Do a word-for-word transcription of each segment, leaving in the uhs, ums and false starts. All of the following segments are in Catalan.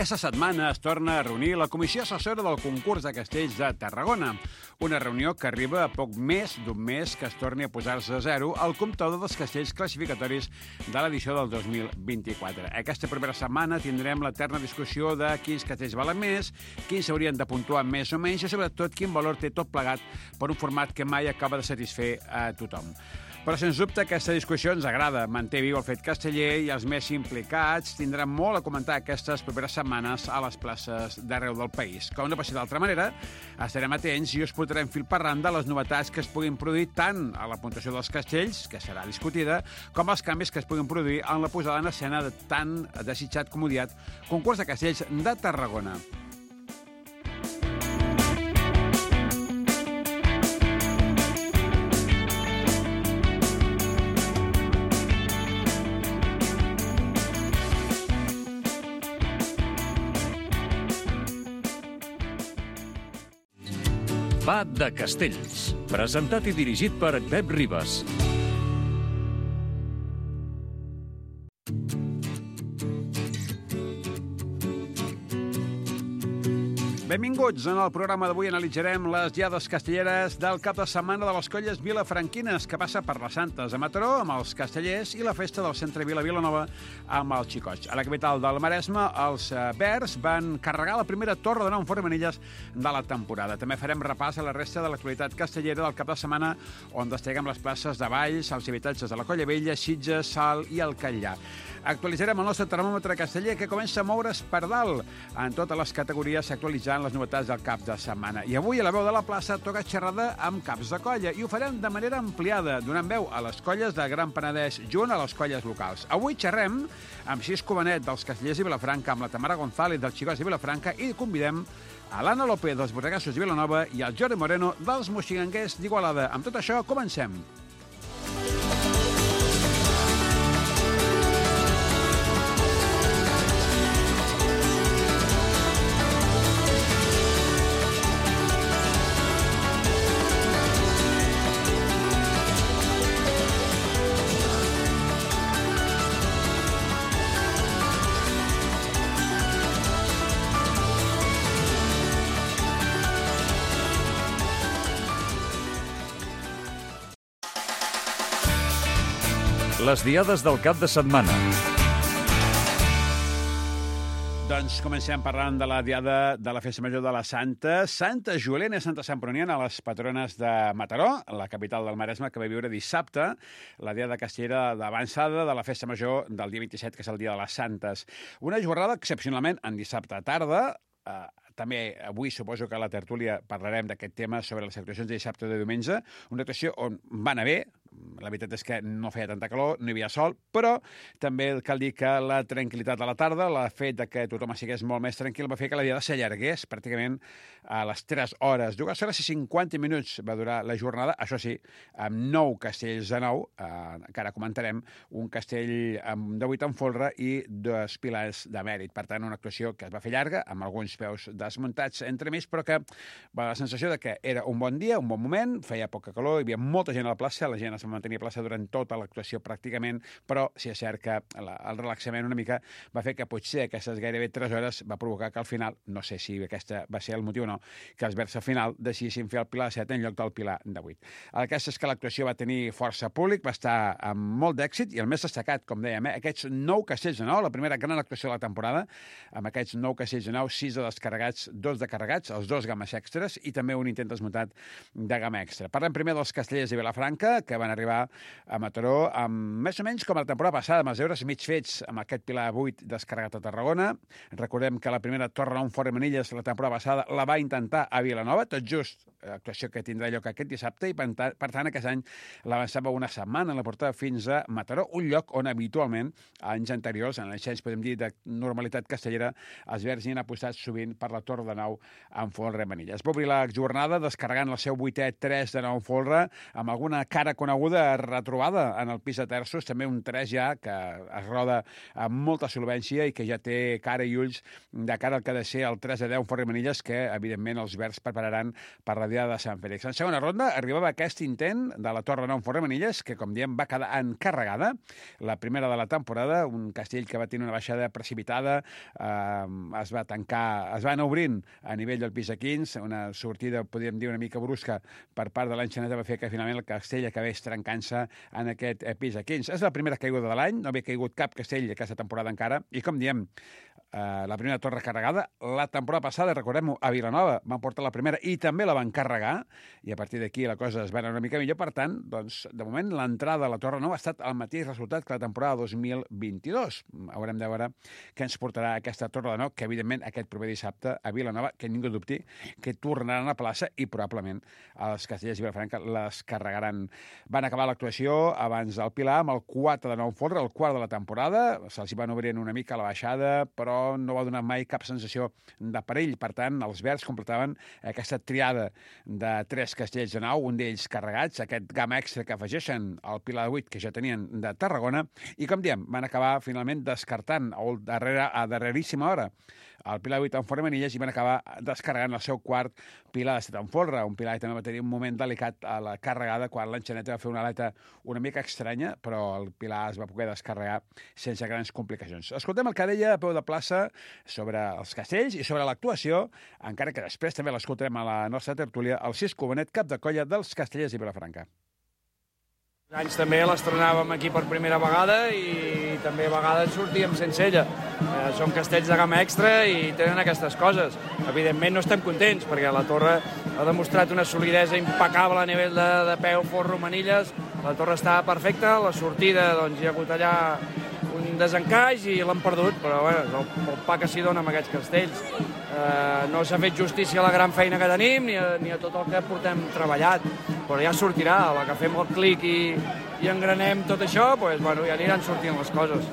Aquesta setmana es torna a reunir la Comissió Assessora del Concurs de Castells de Tarragona, una reunió que arriba a poc més d'un mes que es torni a posar-se a zero el comptador dels castells classificatoris de l'edició del dos mil vint-i-quatre. Aquesta primera setmana tindrem l'eterna discussió de quins castells valen més, quins s'haurien de puntuar més o menys i, sobretot, quin valor té tot plegat per un format que mai acaba de satisfer a tothom. Però, sens dubte, aquesta discussió ens agrada. Manté viu el fet casteller i els més implicats tindran molt a comentar aquestes properes setmanes a les places d'arreu del país. Com no pot ser d'altra manera, estarem atents i us portarem fil per randa les novetats que es puguin produir tant a la puntuació dels castells, que serà discutida, com els canvis que es puguin produir en la posada en escena de tan desitjat com odiat concurs de castells de Tarragona. Va de Castells, presentat i dirigit per Pep Ribas. Benvinguts. En el programa d'avui analitzarem les diades castelleres del cap de setmana de les colles vilafranquines, que passa per les Santes a Mataró amb els castellers i la festa del centre Vila Vilanova amb els xicots. A la capital del Maresme, els verds van carregar la primera torre de nou formanilles de la temporada. També farem repàs a la resta de l'actualitat castellera del cap de setmana, on destaquem les places de Valls, els habitatges de la Colla Vella, Sitges, Salt i el Catllà. Actualitzarem el nostre termòmetre casteller, que comença a moure's per dalt. En totes les categories s'actualitzant les novetats del cap de setmana. I avui, a la veu de la plaça, toca xerrada amb caps de colla, i ho farem de manera ampliada, donant veu a les colles de Gran Penedès junt a les colles locals. Avui xerrem amb Sis Covanet dels castellers de Vilafranca, amb la Tamara González dels xicots de Vilafranca, i convidem a l'Anna López dels Borregassos de Vilanova i al Jordi Moreno dels Moixigangers d'Igualada. Amb tot això, comencem. Les diades del cap de setmana. Doncs comencem parlant de la diada de la Festa Major de la Santa. Santa Juliana i Santa Santproniana, les patrones de Mataró, la capital del Maresme, que va viure dissabte la diada castellera d'avançada de la Festa Major del dia vint-i-set, que és el dia de les Santes. Una jornada excepcionalment en dissabte a tarda. Eh, també avui suposo que a la tertúlia parlarem d'aquest tema sobre les actuacions de dissabte i de diumenge. Una actuació on va anar bé. La veritat és que no feia tanta calor, no hi havia sol, però també cal dir que la tranquil·litat de la tarda, el fet de que tothom estigués molt més tranquil, va fer que la diada s'allargués pràcticament a les tres hores. Dues hores i cinquanta minuts va durar la jornada, això sí, amb nou castells de nou, eh, que ara comentarem, un castell de vuit en folre i dos pilars de mèrit. Per tant, una actuació que es va fer llarga, amb alguns peus desmuntats entre mig, però que va la sensació de que era un bon dia, un bon moment, feia poca calor, hi havia molta gent a la plaça, la gent es va mantenir a plaça durant tota l'actuació pràcticament, però si és cert que la, el relaxament una mica va fer que potser aquestes gairebé tres hores va provocar que al final, no sé si aquesta va ser el motiu o no, que els verds al final decidissin fer el pilar set en lloc del pilar de vuit. El cas és que l'actuació va tenir força públic, va estar amb molt d'èxit, i el més destacat, com dèiem, eh, aquests nou castells de nou, la primera gran actuació de la temporada, amb aquests nou castells de nou, sis de descarregats, dos de carregats, els dos games extres, i també un intent desmuntat de gamma extra. Parlem primer dels castellers de Vilafranca, que van arribar a Mataró, amb més o menys com la temporada passada, amb els deures mig fets amb aquest pilar vuit descarregat a Tarragona. Recordem que la primera torre a un fort de manilles la temporada passada la va intentar a Vilanova, tot just actuació que tindrà lloc aquest dissabte, i per tant aquest any l'avançava una setmana, la portava fins a Mataró, un lloc on habitualment, anys anteriors, en l'ascens, podem dir, de normalitat castellera, els verds hi han apostat sovint per la torre de nou en folre de manilles. Va obrir la jornada descarregant el seu vuitè tres de nou folre, amb alguna cara coneguda coneguda retrobada en el pis de terços, també un tres ja que es roda amb molta solvència i que ja té cara i ulls de cara al que ha de ser el tres a deu en Forri Manilles, que evidentment els verds prepararan per la diada de Sant Fèlix. En segona ronda arribava aquest intent de la Torre nou en Forri Manilles, que com diem va quedar encarregada, la primera de la temporada, un castell que va tenir una baixada precipitada, eh, es va tancar, es va anar obrint a nivell del pis de quinze, una sortida, podríem dir, una mica brusca per part de l'Enxaneta, va fer que finalment el castell acabés trencant-se en aquest pis de quinze. És la primera caiguda de l'any, no havia caigut cap castell aquesta temporada encara, i com diem, Uh, la primera torre carregada. La temporada passada, recordem-ho, a Vilanova van portar la primera i també la van carregar, i a partir d'aquí la cosa es va anar una mica millor. Per tant, doncs, de moment, l'entrada a la Torre Nou ha estat el mateix resultat que la temporada dos mil vint-i-dos. Haurem de veure què ens portarà aquesta Torre de Nou, que evidentment aquest proper dissabte a Vilanova, que ningú dubti, que tornaran a plaça i probablement els castellers i Vilafranca les carregaran. Van acabar l'actuació abans del Pilar amb el quatre de nou folre, el quart de la temporada. Se'ls van obrint una mica la baixada, però no va donar mai cap sensació de perill. Per tant, els verds completaven aquesta triada de tres castells de nou, un d'ells carregats, aquest gamma extra que afegeixen al Pilar de vuit que ja tenien de Tarragona, i com diem, van acabar finalment descartant a, darrere, a darreríssima hora el Pilar de vuit en Forri Manilles i van acabar descarregant el seu quart Pilar de set en folre, un Pilar que també va tenir un moment delicat a la carregada quan l'Enxaneta va fer una aleta una mica estranya, però el Pilar es va poder descarregar sense grans complicacions. Escoltem el que deia a peu de plaça sobre els castells i sobre l'actuació, encara que després també l'escoltarem a la nostra tertúlia, el Cisco Bonet, cap de colla dels Castellers i Vilafranca. Anys també l'estrenàvem aquí per primera vegada i també a vegades sortíem sense ella. Eh, són castells de gamma extra i tenen aquestes coses. Evidentment no estem contents perquè la torre ha demostrat una solidesa impecable a nivell de, de peu, forro, manilles. La torre està perfecta, la sortida doncs, hi ha hagut allà un desencaix i l'han perdut, però bueno, és el, el pa que s'hi dona amb aquests castells. Eh, no s'ha fet justícia a la gran feina que tenim ni a, ni a tot el que portem treballat, però ja sortirà, a la que fem el clic i, i engranem tot això, doncs, bueno, ja aniran sortint les coses.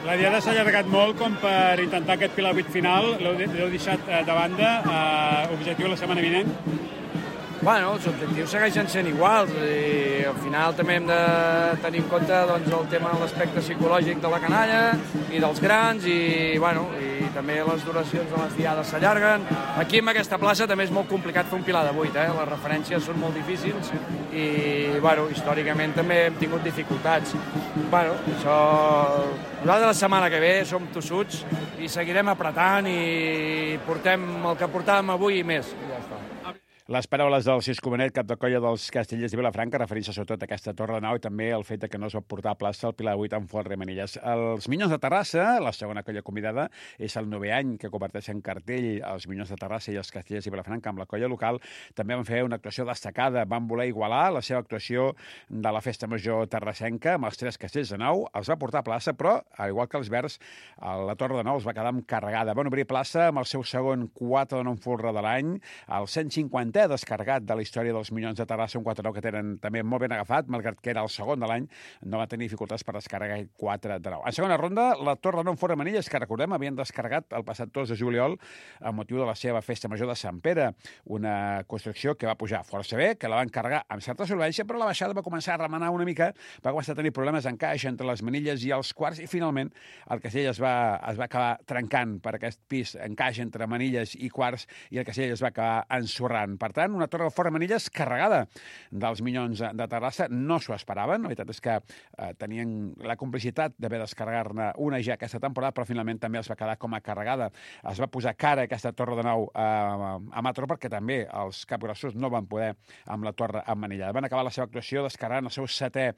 La diada s'ha allargat molt com per intentar aquest Pilar vuit final, l'heu deixat de banda, eh, objectiu la setmana vinent? Bueno, els objectius segueixen sent iguals i al final també hem de tenir en compte doncs, el tema de l'aspecte psicològic de la canalla i dels grans i, bueno, i també les duracions de les diades s'allarguen. Aquí en aquesta plaça també és molt complicat fer un Pilar de vuit, eh? Les referències són molt difícils i, bueno, històricament també hem tingut dificultats. Bueno, això... Nosaltres la setmana que ve som tossuts i seguirem apretant i portem el que portàvem avui i més. I ja està. Les paraules del Cisco Bonet, cap de colla dels Castellers de Vilafranca, referint-se sobretot a aquesta torre de nau i també el fet que no es va portar a plaça el Pilar vuit amb Forri Manilles. Els Minyons de Terrassa, la segona colla convidada, és el novè any que comparteixen cartell els Minyons de Terrassa i els Castellers de Vilafranca amb la colla local. També van fer una actuació destacada, van voler igualar la seva actuació de la Festa Major terrassenca amb els tres castells de nou, els va portar a plaça, però, al igual que els verds, la torre de nou els va quedar carregada. Van obrir plaça amb el seu segon quatre de nou folre de l'any, el cent cinquanta descarregat de la història dels Minyons de Terrassa, un quatre nou que tenen també molt ben agafat, malgrat que era el segon de l'any, no va tenir dificultats per descarregar quatre de nou. En segona ronda, la Torre nou Forri Manilles, que recordem, havien descarregat el passat dos de juliol amb motiu de la seva festa major de Sant Pere, una construcció que va pujar força bé, que la van carregar amb certa solvència, però la baixada va començar a remenar una mica, va començar a tenir problemes d'encaix entre les manilles i els quarts, i finalment el castell es va, es va acabar trencant per aquest pis, encaix entre manilles i quarts, i el castell es va acabar ensorrant. Per tant, una torre de Forri Manilles carregada dels Minyons de Terrassa. No s'ho esperaven. La veritat és que eh, tenien la complicitat d'haver descarregar-ne una ja aquesta temporada, però finalment també els va quedar com a carregada. Es va posar cara aquesta torre de nou eh, a Mataró perquè també els capgrossos no van poder amb la torre emmanillada. Van acabar la seva actuació descarregant el seu setè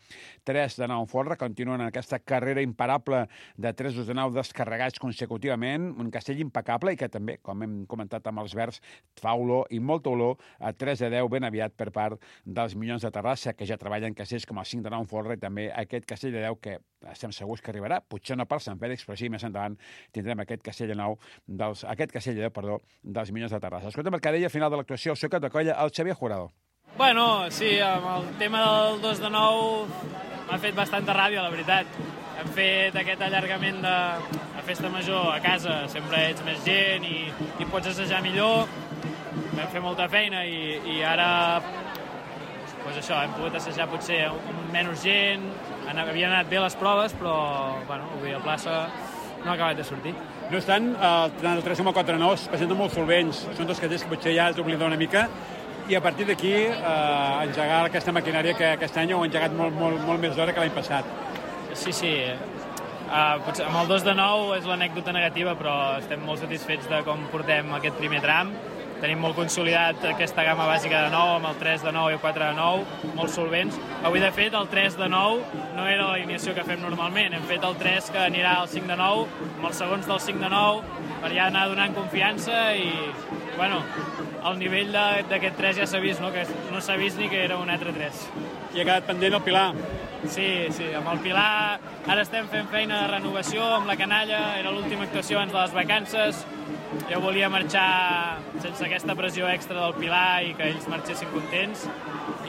tres de nou en folre. Continuen en aquesta carrera imparable de tres de nou descarregats consecutivament. Un castell impecable i que també, com hem comentat amb els verds, fa olor i molta olor a tres de deu ben aviat per part dels Minyons de Terrassa, que ja treballen castells com el cinc de nou en folre, i també aquest castell de deu que estem segurs que arribarà, potser no per Sant Fèlix, però sí, més endavant tindrem aquest castell de nou, dels, aquest castell de deu, perdó, dels Minyons de Terrassa. Escoltem el que deia a final de l'actuació el seu cap de colla, el Xavier Jurado. Bueno, sí, amb el tema del dos de nou m'ha fet bastanta ràbia, la veritat. Hem fet aquest allargament de, de festa major a casa, sempre ets més gent i, i pots assajar millor. Vam fer molta feina i, i ara doncs això, hem pogut assajar potser amb menys gent, havien anat bé les proves, però bueno, avui a plaça no ha acabat de sortir. No obstant, el tres coma quatre nou es presenten molt solvents, són dos castells que potser ja has d'oblidar una mica, i a partir d'aquí eh, engegar aquesta maquinària que aquest any heu engegat molt, molt, molt més d'hora que l'any passat. Sí, sí. Uh, potser amb el dos de nou és l'anècdota negativa, però estem molt satisfets de com portem aquest primer tram. Tenim molt consolidat aquesta gamma bàsica de nou, amb el tres de nou i el quatre de nou, molt solvents. Avui, de fet, el tres de nou no era l'alineació que fem normalment. Hem fet el tres que anirà al cinc de nou, amb els segons del cinc de nou, per ja anar donant confiança i, bueno, el nivell d'aquest tres ja s'ha vist, no? Que no s'ha vist ni que era un E tre tres. I ha quedat pendent el Pilar. Sí, sí, amb el Pilar ara estem fent feina de renovació amb la canalla, era l'última actuació abans de les vacances. Jo volia marxar sense aquesta pressió extra del Pilar i que ells marxessin contents,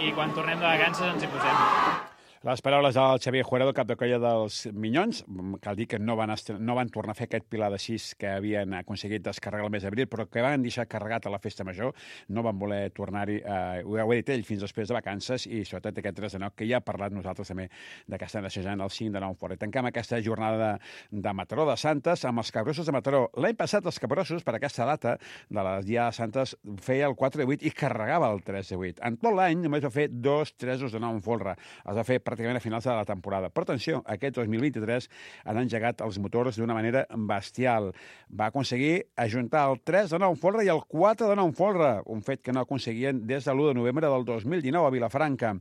i quan tornem de vacances ens hi posem. Les paraules del Xavier Jurado, cap de colla dels Minyons. Cal dir que no van, no van tornar a fer aquest Pilar de sis que havien aconseguit descarregar el mes d'abril, però que van deixar carregat a la festa major. No van voler tornar-hi, eh, ho heu dit ell, fins després de vacances, i sobretot aquest tres de nou, que ja ha parlat nosaltres també de que estan assajant el cinc de nou fora. I tanquem aquesta jornada de, de Mataró de Santes amb els Capgrossos de Mataró. L'any passat els Capgrossos, per aquesta data de les Dia de Santes, feia el quatre de vuit i carregava el tres de vuit. En tot l'any només va fer dos tresos de nou en folre. Els va fer pràcticament a finals de la temporada. Però atenció, aquest dos mil vint-i-tres han engegat els motors d'una manera bestial. Va aconseguir ajuntar el tres de nou en folre i el quatre de nou en folre, un fet que no aconseguien des de l'u de novembre del dos mil dinou a Vilafranca.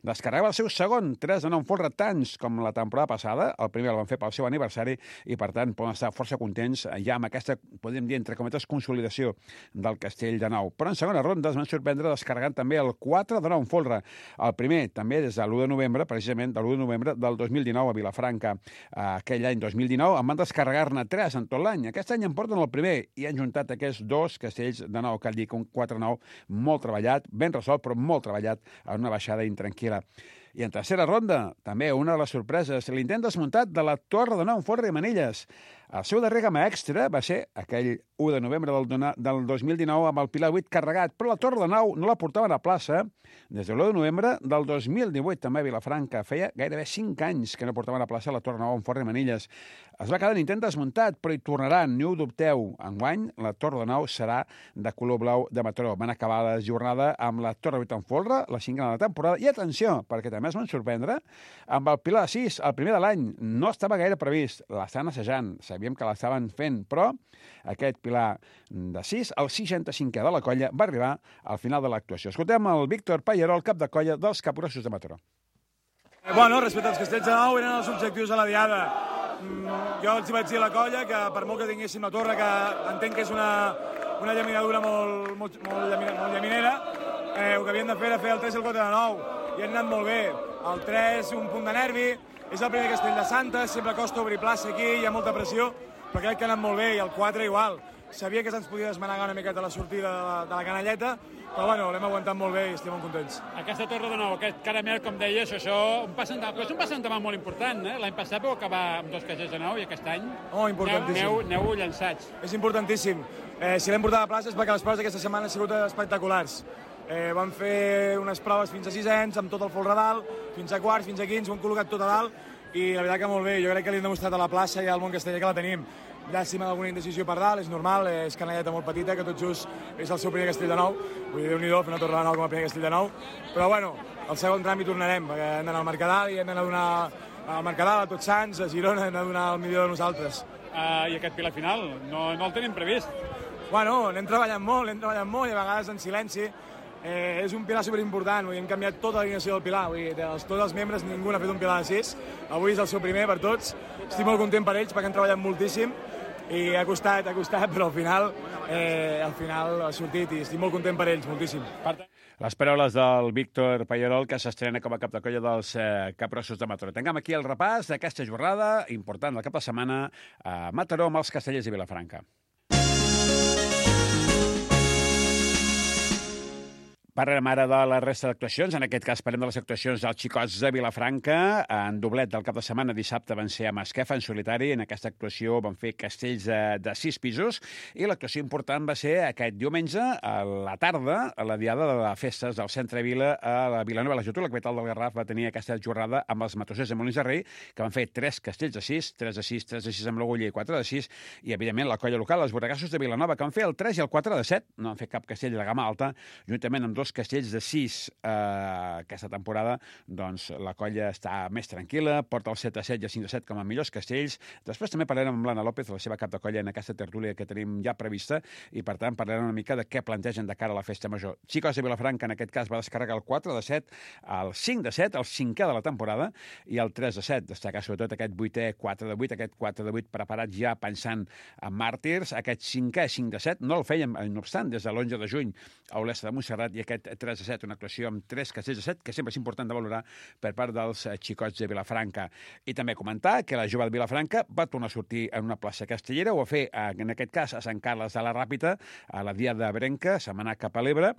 Descarregava el seu segon tres de nou en folre, tants com la temporada passada. El primer el van fer pel seu aniversari i, per tant, poden estar força contents ja amb aquesta, podem dir, entre cometes, consolidació del Castell de Nou. Però en segona ronda es van sorprendre descarregant també el quatre de nou en folre. El primer, també des de l'u de novembre, precisament de l'u de novembre del dos mil dinou a Vilafranca. Aquell any dos mil dinou en van descarregar-ne tres en tot l'any. Aquest any en porten el primer i han juntat aquests dos castells de nou, cal dir que un quatre nou molt treballat, ben resolt, però molt treballat en una baixada intranquil·la. I en tercera ronda, també una de les sorpreses, l'intent desmuntat de la Torre de Nou en Folre i Manilles. El seu darrer gamma extra va ser aquell u de novembre del, del dos mil dinou amb el Pilar vuit carregat, però la Torre de Nou no la portaven a plaça des de l'u de novembre del dos mil divuit, també a Vilafranca. Feia gairebé cinc anys que no portaven a plaça la Torre de Nou en Folre i Manilles. Es va quedar en intent desmuntat, però hi tornaran, ni ho dubteu. Enguany, la Torre de Nou serà de color blau de Mataró. Van acabar la jornada amb la Torre vuit en folre, la cinquena de la temporada, i atenció, perquè també es van sorprendre, amb el Pilar sis, el primer de l'any, no estava gaire previst, l'estan assajant, sabíem que l'estaven fent, però aquest Pilar de sis, el seixanta-cinquè de la colla, va arribar al final de l'actuació. Escoltem el Víctor Pallarol, cap de colla dels Capgrossos de Mataró. Bueno, respecte als Castells de Nou, eren els objectius de la diada. Jo els vaig dir a la colla que per molt que tinguéssim la torre, que entenc que és una, una llaminadura molt, molt, molt, llamina, molt llaminera, eh, el que havien de fer era fer el tres i el quatre de nou, i han anat molt bé. El tres, un punt de nervi, és el primer castell de Santes, sempre costa obrir plaça aquí, hi ha molta pressió, però crec que ha anat molt bé, i el quatre igual. Sabia que se'ns podia desmanegar una miqueta la sortida de la, de la canalleta, però bueno, l'hem aguantat molt bé i estem molt contents. Aquesta torre de nou, aquest caramel, com deies, això un pas endavant, però és un pas endavant molt important, eh? L'any passat vau acabar amb dos castells de nou i aquest any oh, importantíssim. Aneu, aneu llançats. És importantíssim. Eh, si l'hem portat a plaça és perquè les proves d'aquesta setmana han sigut espectaculars. Eh, vam fer unes proves fins a sisens, amb tot el folre a dalt, fins a quarts, fins a quints, ho hem col·locat tot a dalt, i la veritat que molt bé. Jo crec que li hem demostrat a la plaça i al món casteller que la tenim. Llàstima d'alguna indecisió per dalt, és normal, és canalleta molt petita, que tot just és el seu primer castell de nou. Vull dir, Déu-n'hi-do, fer una torre de nou com a primer castell de nou. Però bueno, al segon tram hi tornarem, perquè hem d'anar al Mercadal i hem d'anar a donar al Mercadal, a Tots Sants, a Girona, hem de donar el millor de nosaltres. Uh, I aquest Pilar final, no, no el tenim previst? Bueno, anem treballant molt, anem treballant molt i a vegades en silenci. Eh, és un Pilar superimportant, vull dir, hem canviat tota l'alineació del Pilar, vull dir, dels, tots els membres ningú n'ha fet un Pilar de sis, avui és el seu primer per tots, estic molt content per ells perquè han treballat moltíssim i ha costat, ha costat, però al final, eh, al final ha sortit i estic molt content per ells, moltíssim. Les paraules del Víctor Pallarol, que s'estrena com a cap de colla dels eh, Capgrossos de Mataró. Tanquem aquí el repàs d'aquesta jornada important del cap de setmana a Mataró amb els Castellers de Vilafranca. Parlem ara de la resta d'actuacions. En aquest cas parlem de les actuacions dels xicots de Vilafranca. En doblet del cap de setmana, dissabte, van ser a Masquefa, en solitari. En aquesta actuació van fer castells de, de sis pisos. I l'actuació important va ser aquest diumenge, a la tarda, a la diada de les festes del centre Vila, a la Vilanova i la Geltrú. La capital del Garraf va tenir aquesta jornada amb els matossers de Molins de Rei, que van fer tres castells de sis, tres de sis, tres de sis amb l'Agulla i quatre de sis. I, evidentment, la colla local, els Borregassos de Vilanova, que van fer el tres i el quatre de set. No han fet cap castell de gamma alta, juntament amb dos castells de sis eh, aquesta temporada, doncs la colla està més tranquil·la, porta el set a set i el cinc a set com a millors castells. Després també parlarem amb l'Anna López, la seva cap de colla, en aquesta tertúlia que tenim ja prevista, i per tant parlarem una mica de què plantegen de cara a la festa major. Xicos de Vilafranca, en aquest cas, va descarregar el quatre de set, el cinc de set, el cinquè de la temporada, i el tres de set. Destacar sobretot aquest vuitè quatre de vuit, aquest quatre de vuit preparat ja pensant en màrtirs, aquest cinquè cinc de set, no el fèiem, no obstant, des de l'onze de juny a Olesa de Montserrat, i aquest tres de set, una actuació amb tres castells de set, que sempre és important de valorar per part dels xicots de Vilafranca. I també comentar que la jove de Vilafranca va tornar a sortir en una plaça castellera, ho va fer, en aquest cas, a Sant Carles de la Ràpita, a la dia de Brenca, se'n va anar cap a l'Ebre,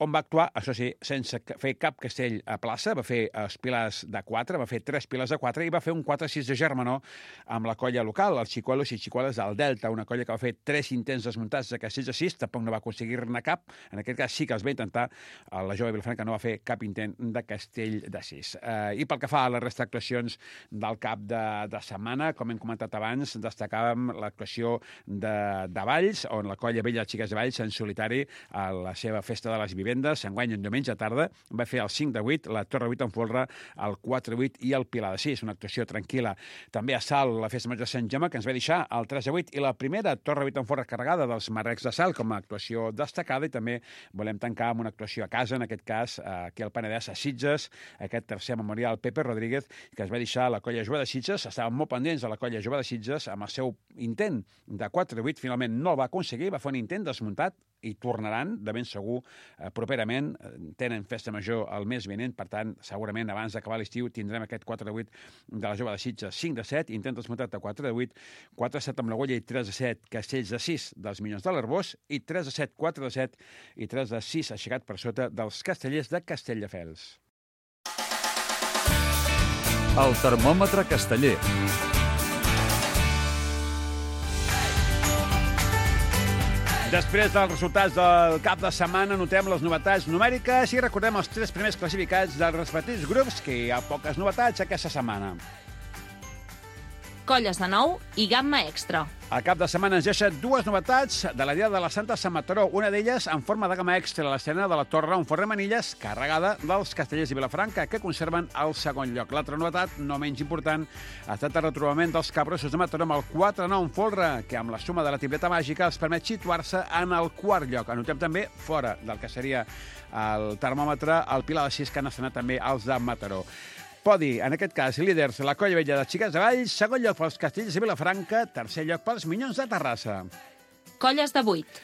on va actuar, això sí, sense fer cap castell a plaça, va fer els pilars de quatre, va fer tres pilars de quatre, i va fer un quatre sis de Germanó amb la colla local, els xicuelos i xicueles del Delta, una colla que va fer tres intents desmuntats de castells de sis, tampoc no va aconseguir-ne cap, en aquest cas sí que els va intentar, la jove de Vilafranca no va fer cap intent de castell de sis. Eh, I pel que fa a les restes d'actuacions del cap de, de setmana, com hem comentat abans, destacàvem l'actuació de, de Valls, on la colla Vella de Xiques de Valls, en solitari, a la seva festa de les vivendes, s'enguany en diumenge a tarda, va fer el cinc de vuit, la Torre vuit en folre, el quatre vuit i el Pilar de sis, una actuació tranquil·la. També a Salt, la festa major de Sant Jaume, que ens va deixar el tres de vuit, i la primera Torre vuit en folre carregada dels Marrecs de Salt, com a actuació destacada, i també volem tancar amb una actuació a casa, en aquest cas, aquí al Penedès, a Sitges, aquest tercer memorial Pepe Rodríguez, que es va deixar la colla jove de Sitges. Estaven molt pendents de la colla jove de Sitges, amb el seu intent de quatre vuit, finalment no el va aconseguir, va fer un intent desmuntat, i tornaran, de ben segur, eh, properament. Tenen festa major el mes vinent, per tant, segurament abans d'acabar l'estiu tindrem aquest quatre vuit de la jove de Sitges, cinc de set, intent desmuntat de quatre de vuit, quatre de set amb l'Agulla i tres de set, castells de sis dels Minyons de l'Arbós, i tres de set, quatre de set i tres de sis aixecat per sota dels castellers de Castelldefels. El termòmetre casteller. Després dels resultats del cap de setmana, notem les novetats numèriques i recordem els tres primers classificats dels respectius grups, que hi ha poques novetats aquesta setmana. Colles de nou i gamma extra. El cap de setmana ens deixa dues novetats de la Diada de la Santa Sant Mataró. Una d'elles en forma de gamma extra, l'estrena de la Torre on forre manilles, carregada dels castellers de Vilafranca, que conserven el segon lloc. L'altra novetat, no menys important, ha estat el retrobament dels Cabrossos de Mataró amb el quatre nou en folre, que amb la suma de la tripleta màgica els permet situar-se en el quart lloc. Anotem també, fora del que seria el termòmetre, el Pilar de sis, que han estrenat també els de Mataró. Podi, en aquest cas, líders, la colla vella de Xiques de Valls, segon lloc pels castells de Vilafranca, tercer lloc pels Minyons de Terrassa. Colles de vuit.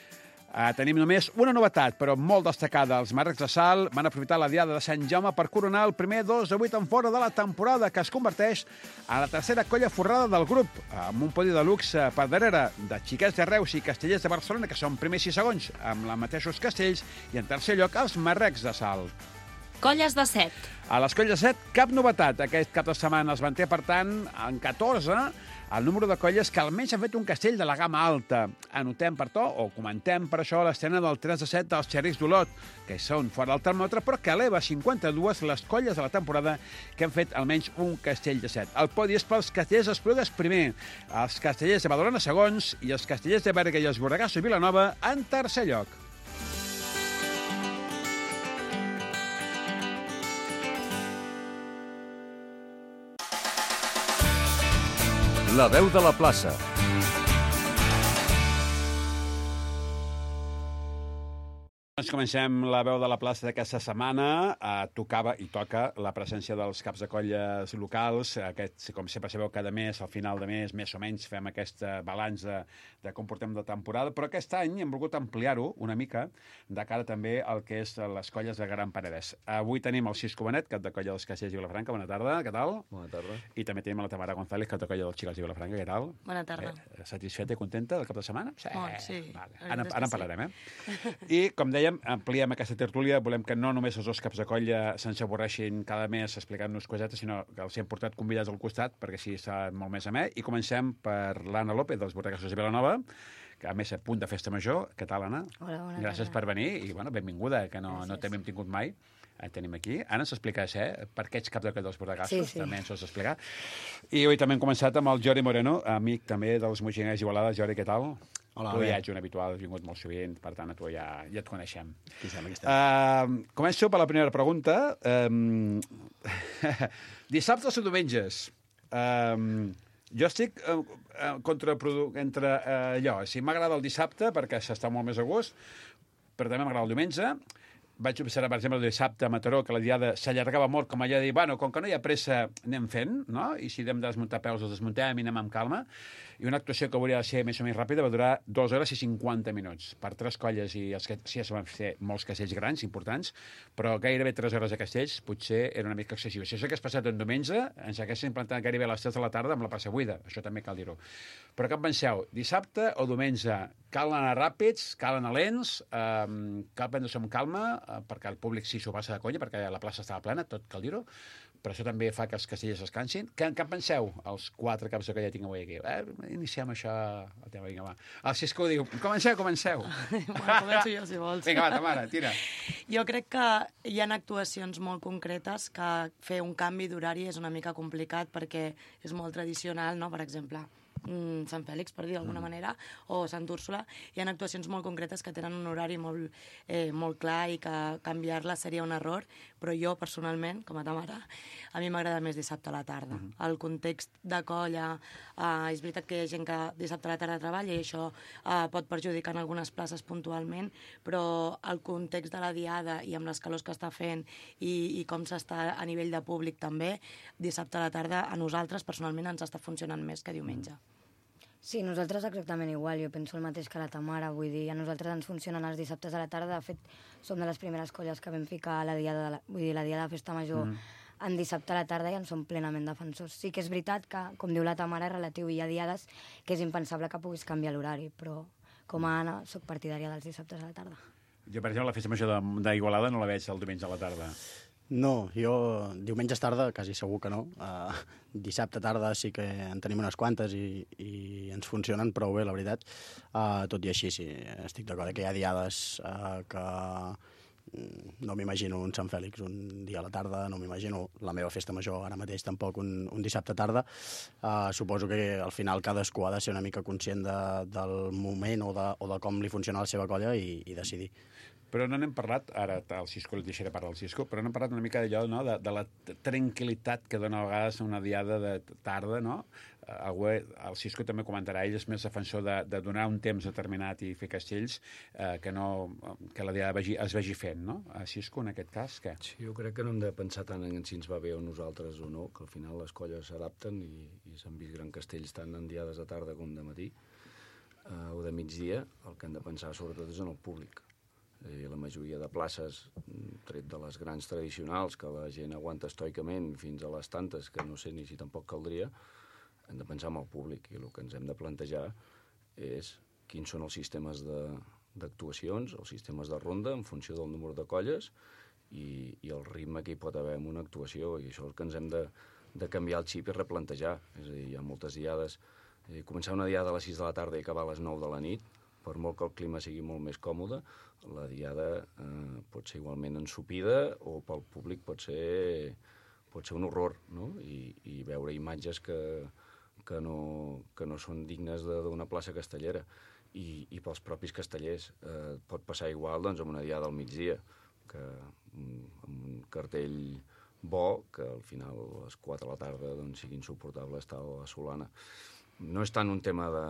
Uh, tenim només una novetat, però molt destacada. Els Marrecs de Salt van aprofitar la Diada de Sant Jaume per coronar el primer dos de vuit en fora de la temporada, que es converteix en la tercera colla forrada del grup, amb un podi de luxe per darrere de Xiquets de Reus i Castellers de Barcelona, que són primers i segons, amb els mateixos castells, i en tercer lloc els Marrecs de Salt. Colles de set. A les colles de set, cap novetat. Aquest cap de setmana es manté, per tant, en catorze, el número de colles que almenys han fet un castell de la gamma alta. Anotem per to, o comentem per això, l'estrena del tres de set dels Xerrics d'Olot, que són fora del termòmetre, però que eleva a cinquanta-dues les colles de la temporada que han fet almenys un castell de set. El podi és pels castellers d'Esplugues primer, els castellers de Badalona segons i els castellers de Berga i els Borregassos i Vilanova en tercer lloc. La veu de la plaça. Doncs comencem la veu de la plaça d'aquesta setmana. Uh, tocava i toca la presència dels caps de colles locals. Aquest, com sempre sabeu, cada mes, al final de mes, més o menys, fem aquest balanç de, de com portem de temporada, però aquest any hem volgut ampliar-ho una mica de cara també al que és les colles de Gran Penedès. Avui tenim el Cisco Benet, cap de colla dels Castellers de Vilafranca. Bona tarda, què tal? Bona tarda. I també tenim la Tamara González, cap de colla dels Xicals de Vilafranca. Què tal? Bona tarda. Eh, satisfeta i contenta del cap de setmana? Sí. Molt, sí. Vale. Ara, ara en parlarem, eh? I, com dèiem, ampliem aquesta tertúlia. Volem que no només els dos caps de colla se'ns avorreixin cada mes explicant-nos cosetes, sinó que els hem portat convidats al costat, perquè així està molt més amè. I comencem per l'Anna López, dels Borregassos de Vilanova, que a més a punt de festa major. Què tal, Anna? Hola, bona Gràcies tarda. per venir i, bueno, benvinguda, que no, no t'hem tingut mai. Et tenim aquí. Ara ens expliques, eh, per què ets cap de colla dels Borregassos. Sí, sí. També ens ho has d'explicar. I avui també hem començat amb el Jordi Moreno, amic també dels Moixiners Igualada. Jordi, què tal? Hola, tu bé. ja ets un habitual, has vingut molt sovint, per tant, a tu ja, ja et coneixem. Aquí estem, aquí estem. Uh, començo per la primera pregunta. Um, dissabtes o diumenges? Um, jo estic uh, uh, contraprodu... entre uh, allò. Si m'agrada el dissabte, perquè s'està molt més a gust, però també m'agrada el diumenge. Vaig observar, per exemple, el dissabte a Mataró, que la diada s'allargava molt, com allò de dir, bueno, com que no hi ha pressa, anem fent, no? I si hem de desmuntar peus, els desmuntem i anem amb calma. I una actuació que hauria de ser més o menys ràpida va durar dues hores i cinquanta minuts. Per tres colles, i els que sí, es van fer molts castells grans, importants, però gairebé tres hores de castells potser era una mica excessiu. Si això hagués passat un diumenge, ens haguessin implantat gairebé a les tres de la tarda amb la plaça buida. Això també cal dir-ho. Però què en penseu? Dissabte o diumenge? Cal anar ràpids, cal anar lents, um, cal prendre-se amb calma, uh, perquè el públic sí s'ho passa de conya, perquè la plaça estava plena, tot cal dir-ho, però això també fa que els castellers descansin. Què, què en penseu, els quatre caps de colla que tinc avui aquí? Eh, iniciem això... Vinga, va. El Xisco diu, comenceu, comenceu. Bueno, començo jo, si vols. Vinga, va, Tamara, tira. Jo crec que hi ha actuacions molt concretes que fer un canvi d'horari és una mica complicat perquè és molt tradicional, no? Per exemple, Sant Fèlix, per dir d'alguna manera, o Sant Úrsula, hi ha actuacions molt concretes que tenen un horari molt, eh, molt clar i que canviar-la seria un error, però jo, personalment, com a Tamara, a mi m'agrada més dissabte a la tarda. Uh -huh. El context de colla, eh, és veritat que hi ha gent que dissabte a la tarda treballa i això eh, pot perjudicar en algunes places puntualment, però el context de la diada i amb les calors que està fent i, i com s'està a nivell de públic també, dissabte a la tarda a nosaltres, personalment, ens està funcionant més que diumenge. Sí, nosaltres exactament igual. Jo penso el mateix que la Tamara. Vull dir, a nosaltres ens funcionen els dissabtes a la tarda. De fet, som de les primeres colles que vam ficar la diada de la, vull dir, la diada de festa major mm. en dissabte a la tarda i en som plenament defensors. Sí que és veritat que, com diu la Tamara, és relatiu. Hi ha diades que és impensable que puguis canviar l'horari, però com a Anna soc partidària dels dissabtes a la tarda. Jo, per exemple, la festa major d'Igualada no la veig el diumenge a la tarda. No, jo diumenges tarda quasi segur que no. Uh, dissabte tarda sí que en tenim unes quantes i, i ens funcionen prou bé, la veritat. Uh, tot i així, sí, estic d'acord que hi ha diades uh, que no m'imagino un Sant Fèlix un dia a la tarda, no m'imagino la meva festa major ara mateix tampoc un, un dissabte tarda. Uh, suposo que al final cadascú ha de ser una mica conscient de, del moment o de, o de com li funciona la seva colla i, i decidir. Però no n'hem parlat, ara el Xisco, el deixaré parlar del Xisco, però no hem parlat una mica d'allò, no?, de, de la tranquil·litat que dona a vegades una diada de tarda, no? Algú, el Xisco també comentarà, ell és més defensor de, de donar un temps determinat i fer castells eh, que, no, que la diada vegi, es vegi fent, no? A Xisco, en aquest cas, què? Sí, jo crec que no hem de pensar tant en si ens va bé o nosaltres o no, que al final les colles s'adapten i, i s'han vist grans castells tant en diades de tarda com de matí eh, o de migdia. El que hem de pensar sobretot és en el públic. Eh, la majoria de places, tret de les grans tradicionals, que la gent aguanta estoicament fins a les tantes, que no sé ni si tampoc caldria, hem de pensar en el públic, i el que ens hem de plantejar és quins són els sistemes d'actuacions, els sistemes de ronda, en funció del número de colles, i, i el ritme que hi pot haver en una actuació, i això és el que ens hem de, de canviar el xip i replantejar. És a dir, hi ha moltes diades, eh, començar una diada a les sis de la tarda i acabar a les nou de la nit, per molt que el clima sigui molt més còmode, la diada eh, pot ser igualment ensopida o pel públic pot ser, pot ser un horror, no? I, i veure imatges que, que, no, que no són dignes d'una plaça castellera. I, i pels propis castellers eh, pot passar igual doncs, amb una diada al migdia, que amb un cartell bo, que al final a les quatre de la tarda doncs, sigui insuportable estar a la Solana. No és tant un tema de,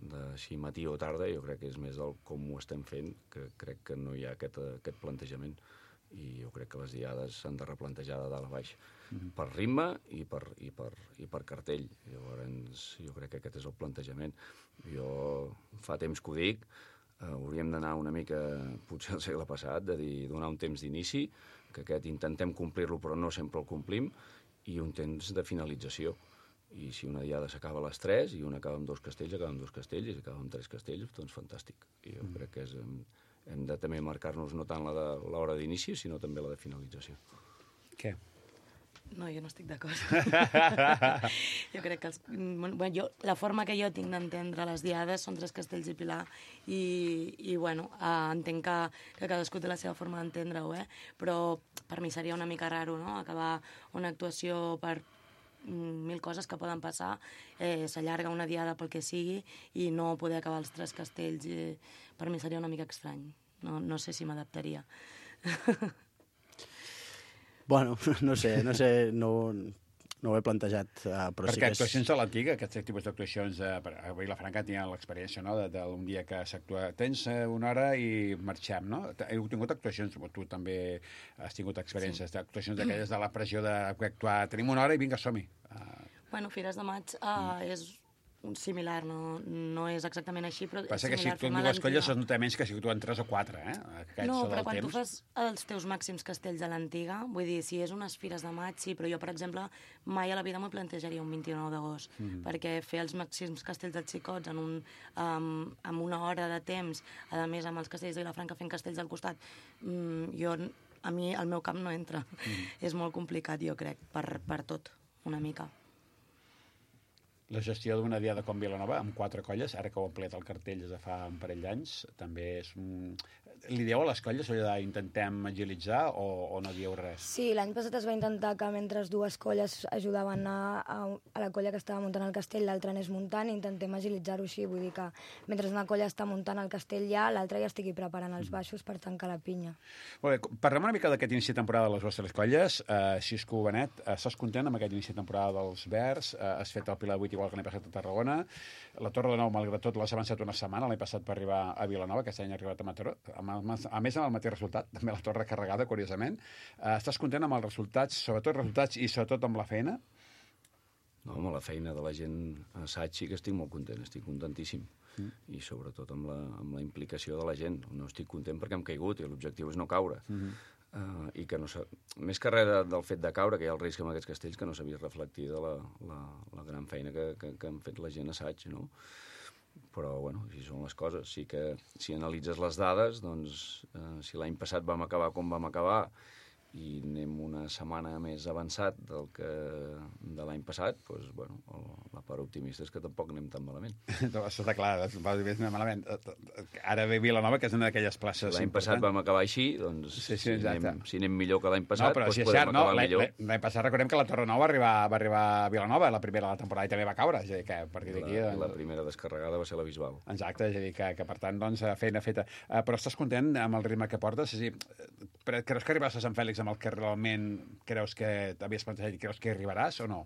de si matí o tarda, jo crec que és més del com ho estem fent, que crec que no hi ha aquest, aquest plantejament. I jo crec que les diades s'han de replantejar de dalt a baix, mm-hmm. per ritme i per, i per, i per cartell. Llavors, jo crec que aquest és el plantejament. Jo fa temps que ho dic, eh, hauríem d'anar una mica, potser al segle passat, de dir, donar un temps d'inici, que aquest intentem complir-lo però no sempre el complim, i un temps de finalització. I si una diada s'acaba a les tres i una acaba amb dos castells, acaba amb dos castells, i si acaba amb tres castells, doncs fantàstic. I jo mm. crec que és, hem de també marcar-nos no tant la de l'hora d'inici, sinó també la de finalització. Què? No, jo no estic d'acord. Jo crec que els, bueno, jo, la forma que jo tinc d'entendre les diades són Tres Castells i Pilar i, i bueno, eh, entenc que, que cadascú té la seva forma d'entendre-ho, eh? Però per mi seria una mica raro, no?, acabar una actuació per mil coses que poden passar, eh, s'allarga una diada pel que sigui i no poder acabar els Tres Castells, eh, per mi seria una mica estrany. No, no sé si m'adaptaria. Bueno, no sé, no sé, no, no ho he plantejat, uh, però Perquè sí que és... actuacions de l'antiga, aquests tipus d'actuacions, eh, a Vilafranca tenia l'experiència, no?, d'un dia que s'actua, tens una hora i marxem, no? Heu tingut actuacions, tu també has tingut experiències, sí. d'actuacions d'aquelles de la pressió d'actuar, tenim una hora i vinga, som-hi. Uh... Bueno, Fires de Maig uh, mm. és un similar, no, no és exactament així, però Passa és que si similar. tu en dues colles es nota menys que si tu en tres o quatre, eh? Aquests no, però quan temps. tu fas els teus màxims castells a l'antiga, vull dir, si és unes Fires de Maig, sí, però jo, per exemple, mai a la vida m'ho plantejaria un vint-i-nou d'agost, mm-hmm. perquè fer els màxims castells dels xicots en un, um, amb una hora de temps, a més amb els castells de Vilafranca fent castells al costat, um, jo, a mi el meu cap no entra. Mm-hmm. És molt complicat, jo crec, per, per tot, una mica. La gestió d'una diada com Vilanova, amb quatre colles, ara que ho ha ampliat el cartell des de fa un parell d'anys, també és un... Li dieu a les colles allò d'intentem agilitzar o, o no dieu res? Sí, l'any passat es va intentar que mentre dues colles ajudaven a, a, a la colla que estava muntant el castell, l'altra anés muntant, i intentem agilitzar-ho així, vull dir que mentre una colla està muntant el castell ja, l'altra ja estigui preparant els baixos per tancar la pinya. Molt bé, parlem una mica d'aquest inici de temporada de les vostres colles. Uh, Xisco Benet, uh, estàs content amb aquest inici de temporada dels Verds? Uh, has fet el Pilar vuit igual que l'any passat a Tarragona. La Torre de Nou, malgrat tot, l'has avançat una setmana, l'any passat per arribar a Vilanova, aquest any ha arribat a Mataró, a més amb el mateix resultat, també la Torre carregada, curiosament. Uh, estàs content amb els resultats, sobretot resultats i sobretot amb la feina? No, amb la feina de la gent a assaig sí que estic molt content, estic contentíssim. Mm. I sobretot amb la, amb la implicació de la gent. No estic content perquè hem caigut i l'objectiu és no caure. Mm-hmm. Uh, i que no s'ha... Més que res del fet de caure, que hi ha el risc amb aquests castells, que no s'ha vist reflectida la, la, la gran feina que, que, que han fet la gent a assaig, no? Però, bueno, així són les coses. Sí que si analitzes les dades, doncs, eh, si l'any passat vam acabar com vam acabar i anem una setmana més avançat del que de l'any passat, doncs, bueno, la part optimista és que tampoc anem tan malament. Això està clar, va dir més malament. Ara ve Vilanova, que és una d'aquelles places si l'any passat vam acabar així, doncs sí, sí, si, anem, si anem millor que l'any passat, no, però doncs si és podem cert, acabar no, millor. L'any passat recordem que la Torre Nou va arribar, va arribar a Vilanova, la primera de la temporada, i també va caure. És a dir, que a partir d'aquí... La, la primera descarregada va ser la Bisbal. Exacte, és a dir, que, que per tant, doncs, feina feta. Uh, però estàs content amb el ritme que portes? És a dir, creus que arribaràs a Sant Fèlix amb el que realment creus que t'havies plantejat i creus que arribaràs o no?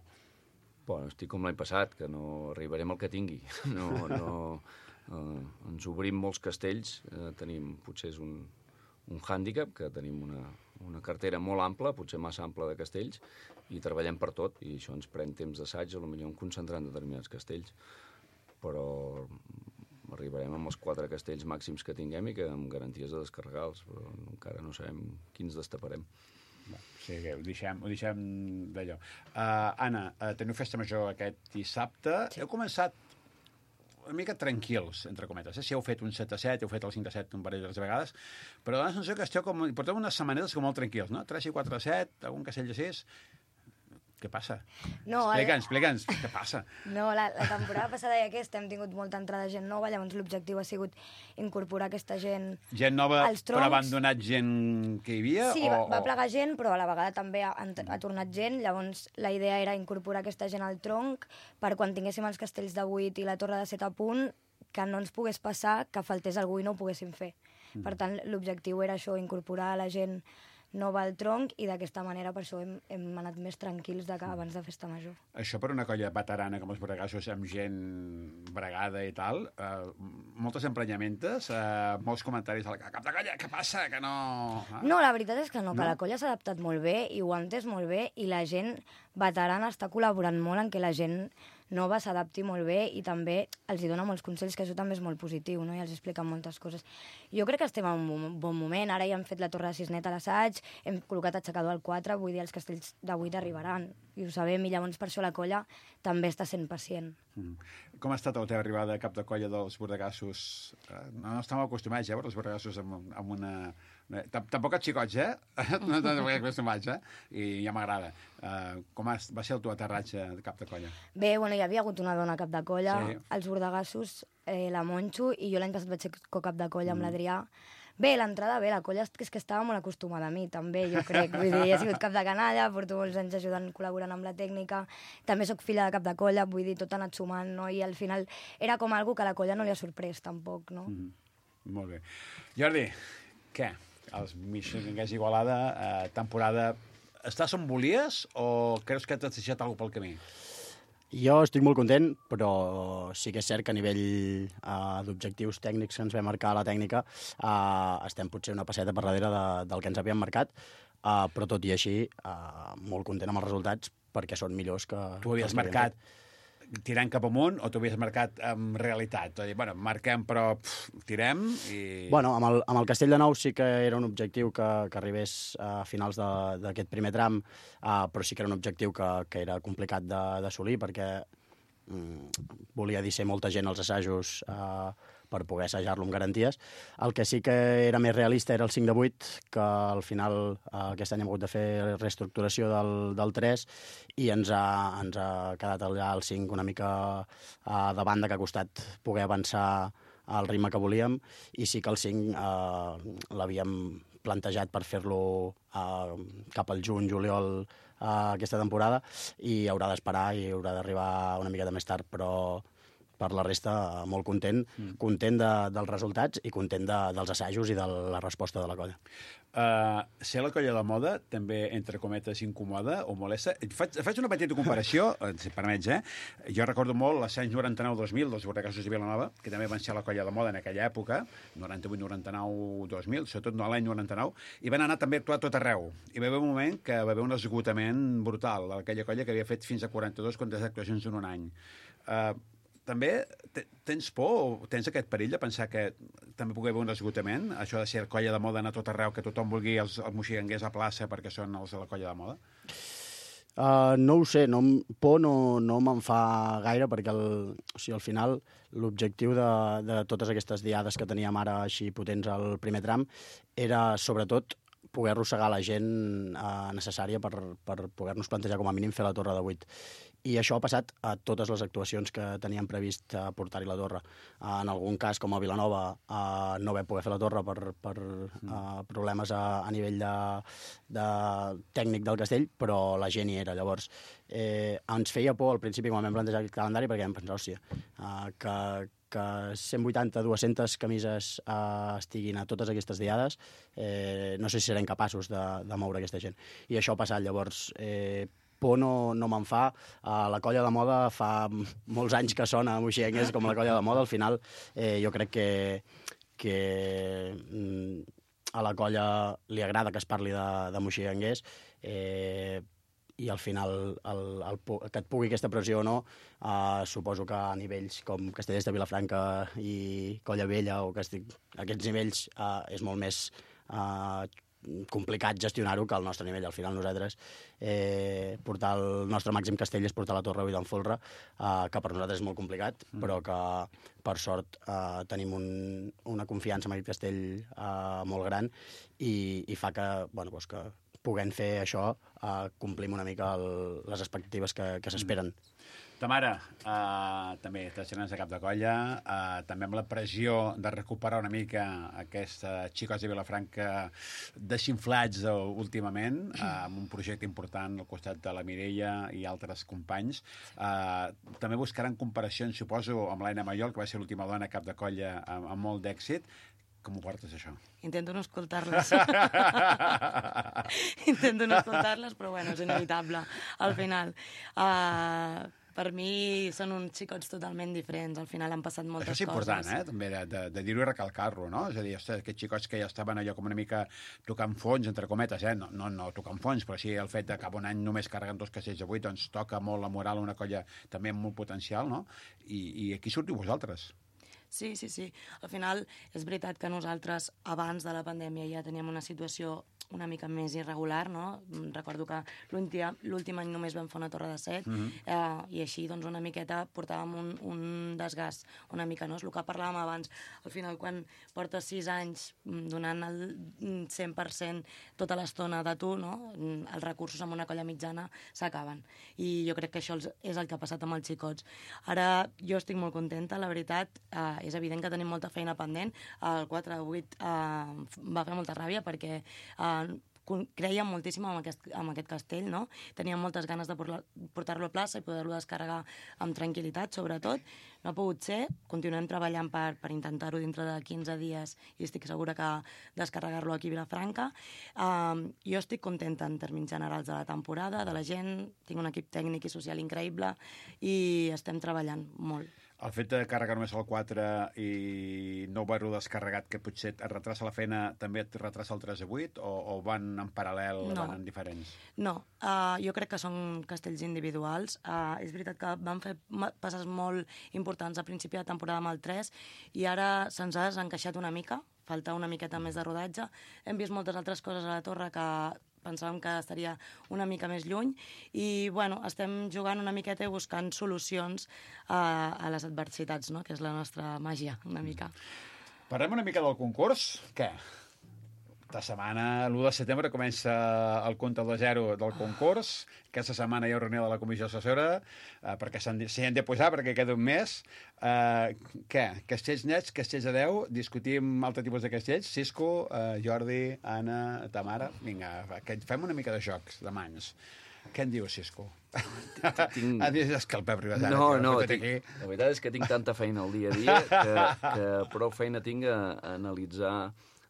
Bueno, estic com l'any passat, que no arribarem al que tingui. No, no, eh, ens obrim molts castells, eh, tenim, potser és un, un hàndicap, que tenim una, una cartera molt ampla, potser massa ampla de castells, i treballem per tot, i això ens pren temps d'assaig, potser en concentrar en determinats castells. Però arribarem amb els quatre castells màxims que tinguem i que amb garanties de descarregar-los, però encara no sabem quins destaparem. Sí, que ho deixem, ho deixem d'allò. Uh, Anna, uh, teniu festa major aquest dissabte. Sí. Heu començat una mica tranquils, entre cometes. Eh? Si heu fet un set a set, heu fet el cinc a set un parell de vegades, però dona la sensació que esteu com... porteu unes setmanetes com molt tranquils, no? tres i quatre a set, algun castell de sis... Què passa? No, explica'ns, explica'ns, què passa? No, la, la temporada passada i aquesta hem tingut molta entrada de gent nova, llavors l'objectiu ha sigut incorporar aquesta gent Gent nova, als troncs. però ha abandonat gent que hi havia? Sí, o, va, va o... plegar gent, però a la vegada també ha, ha tornat gent, llavors la idea era incorporar aquesta gent al tronc per quan tinguéssim els castells de vuit i la torre de set a punt, que no ens pogués passar que faltés algú i no ho poguéssim fer. Mm. Per tant, l'objectiu era això, incorporar la gent nova al tronc, i d'aquesta manera per això hem, hem anat més tranquils de que abans de festa major. Això per una colla veterana com els Bregassos, amb gent bregada i tal, eh, moltes emprenyamentes, eh, molts comentaris al cap de colla, què passa, que no... Eh? No, la veritat és que no, que no? la colla s'ha adaptat molt bé i ho ha entès molt bé, i la gent veterana està col·laborant molt en que la gent nova s'adapti molt bé i també els hi dona molts consells, que això també és molt positiu, no? I els explica moltes coses. Jo crec que estem en un bon moment. Ara ja hem fet la torre de Cisnet a l'assaig, hem col·locat aixecador al quatre, vull dir, els castells de vuit arribaran. I ho sabem, i llavors per això la colla també està sent pacient. Mm. Com ha estat la teva arribada a cap de colla dels bordegassos? No, no estàvem acostumats, eh, a veure els bordegassos amb, amb una... Tampoc els xicots, eh? No estem acostumats, eh? I ja m'agrada. Uh, com va ser el teu aterratge de cap de colla? Bé, bueno, hi havia hagut una dona cap de colla, sí. Els bordegassos, eh, la Monxo, i jo l'any passat vaig ser co-cap de colla amb Mm. l'Adrià. Bé, l'entrada bé, la colla és que estava molt acostumada a mi, també, jo crec. Vull dir, he sigut cap de canalla, porto molts anys ajudant, col·laborant amb la tècnica, també sóc filla de cap de colla, vull dir, tot ha anat sumant, no? I al final era com algo que a la colla no li ha sorprès, tampoc, no? Mm -hmm. Molt bé. Jordi, què? Els Mixinguers Igualada, eh, temporada... Estàs on volies o creus que t'has deixat alguna pel camí? Jo estic molt content, però sí que és cert que a nivell uh, d'objectius tècnics que ens vam marcar a la tècnica uh, estem potser una passeta per darrere de, del que ens havíem marcat, uh, però tot i així uh, molt content amb els resultats perquè són millors que... Tu havies marcat tirant cap amunt o t'ho havies marcat en realitat? És a dir, bueno, marquem però pff, tirem i... Bueno, amb el, amb el Castell de Nou sí que era un objectiu que, que arribés a finals d'aquest primer tram, uh, però sí que era un objectiu que, que era complicat d'assolir perquè mm, volia dir ser molta gent als assajos uh, per poder assajar-lo amb garanties. El que sí que era més realista era el cinc de vuit, que al final uh, aquest any hem hagut de fer reestructuració del, del tres i ens ha, ens ha quedat allà el cinc una mica uh, de banda, que ha costat poder avançar al ritme que volíem, i sí que el cinc uh, l'havíem plantejat per fer-lo uh, cap al juny, juliol, uh, aquesta temporada, i haurà d'esperar i haurà d'arribar una miqueta més tard, però per la resta molt content, mm. content de, dels resultats i content de, dels assajos i de la resposta de la colla. Uh, ser la colla de moda també, entre cometes, incomoda o molesta? Faig, faig una petita comparació, si permets, eh? Jo recordo molt els anys noranta-nou dos mil dels Bordegassos de Vilanova, que també van ser la colla de moda en aquella època, noranta-vuit, noranta-nou, dos mil, sobretot no l'any noranta-nou, i van anar també a actuar a tot arreu. I va haver un moment que va haver un esgotament brutal d'aquella colla que havia fet fins a quaranta-dos quantes actuacions en un any. Uh, També tens por o tens aquest perill de pensar que també pugui haver un esgotament? Això de ser colla de moda, anar a tot arreu, que tothom vulgui els, els moxiganguers a plaça perquè són els de la colla de moda? Uh, no ho sé, no, por no, no me'n fa gaire, perquè el, o sigui, al final l'objectiu de, de totes aquestes diades que teníem ara així potents al primer tram era sobretot poder arrossegar la gent uh, necessària per, per poder-nos plantejar com a mínim fer la torre de vuit. I això ha passat a totes les actuacions que teníem previst uh, portar-hi la torre. Uh, en algun cas, com a Vilanova, uh, no vam poder fer la torre per, per uh, problemes a, a nivell de, de tècnic del castell, però la gent hi era. Llavors, eh, ens feia por al principi quan vam plantejar el calendari, perquè vam pensar, hòstia, uh, que, que cent vuitanta, dues-centes camises uh, estiguin a totes aquestes diades, eh, no sé si serem capaços de, de moure aquesta gent. I això ha passat. Llavors, eh, por no, no me'n fa. Uh, la colla de moda fa molts anys que sona a Moixiganyers com la colla de moda. Al final, eh, jo crec que, que mm, a la colla li agrada que es parli de, de Moixiganyers, eh, i al final el, el, que et pugui aquesta pressió o no, uh, suposo que a nivells com Castellers de Vilafranca i Colla Vella o Castell, aquests nivells uh, és molt més uh, complicat gestionar-ho que al nostre nivell. Al final nosaltres eh, portar el nostre màxim castell és portar la Torre Vuit d'en Folre, eh, que per nosaltres és molt complicat, mm. però que per sort eh, tenim un, una confiança en aquest castell eh, molt gran i, i fa que, bueno, doncs que puguem fer això, eh, complim una mica el, les expectatives que, que s'esperen. Mm. Tamara, uh, també t'estrenes a cap de colla, uh, també amb la pressió de recuperar una mica aquests xicos de Vilafranca desinflats uh, últimament, uh, amb un projecte important al costat de la Mireia i altres companys. Uh, també buscaran comparacions, suposo, amb l'Aina Mayol, que va ser l'última dona a cap de colla amb, amb molt d'èxit. Com ho portes, això? Intento no escoltar-les. Intento no escoltar-les, però bueno, és inevitable, al final. Uh, Per mi són uns xicots totalment diferents. Al final han passat moltes coses. Això és important, coses. eh? També de, de, de dir-ho i recalcar-lo, no? És a dir, ostres, aquests xicots que ja estaven allò com una mica tocant fons, entre cometes, eh? No, no, no tocant fons, però sí el fet de cap un any només carreguen dos castells de vuit, doncs toca molt la moral a una colla també amb molt potencial, no? I, i aquí sortiu vosaltres. Sí, sí, sí. Al final és veritat que nosaltres abans de la pandèmia ja teníem una situació una mica més irregular, no? Recordo que l'últim any només vam fer una torre de set, mm-hmm. eh, i així doncs una miqueta portàvem un, un desgast una mica, no? És el que parlàvem abans. Al final, quan portes sis anys donant el cent per cent tota l'estona de tu, no? Els recursos amb una colla mitjana s'acaben. I jo crec que això és el que ha passat amb els xicots. Ara jo estic molt contenta, la veritat, eh, és evident que tenim molta feina pendent. El quatre de vuit eh, va fer molta ràbia perquè eh, creia moltíssim en aquest, en aquest castell, no? Teníem moltes ganes de portar-lo a plaça i poder-lo descarregar amb tranquil·litat, sobretot. No ha pogut ser, continuem treballant per, per intentar-ho dintre de quinze dies i estic segura que descarregar-lo aquí a Vilafranca. Um, jo estic contenta en termes generals de la temporada, de la gent, tinc un equip tècnic i social increïble i estem treballant molt. El fet de carregar només el quatre i no haver-ho descarregat, que potser et retrasa la feina, també et retrasa el tres a vuit, o, o van en paral·lel, no. Van en diferents? No, uh, jo crec que són castells individuals. Uh, és veritat que van fer passes molt importants a principi de temporada amb el tres i ara se'ns ha desencaixat una mica, falta una miqueta més de rodatge. Hem vist moltes altres coses a la torre que pensàvem que estaria una mica més lluny i, bueno, estem jugant una miqueta i buscant solucions a, a les adversitats, no?, que és la nostra màgia, una mica. Parlem una mica del concurs. Què? Esta setmana, l'u de setembre, comença el comptador zero del concurs. Aquesta setmana hi ha reunió de la comissió assessora eh, perquè s'hi han de posar, perquè queda un mes. Eh, què? Castells nets, castells de deu, discutim altre tipus de castells. Cisco, eh, Jordi, Anna, Tamara... Vinga, que fem una mica de jocs, de mans. Què en dius, Cisco? Tinc... Ah, és que el Pep Ribas ara... No, no, tinc... la veritat és que tinc tanta feina al dia a dia que, que prou feina tinc a, a analitzar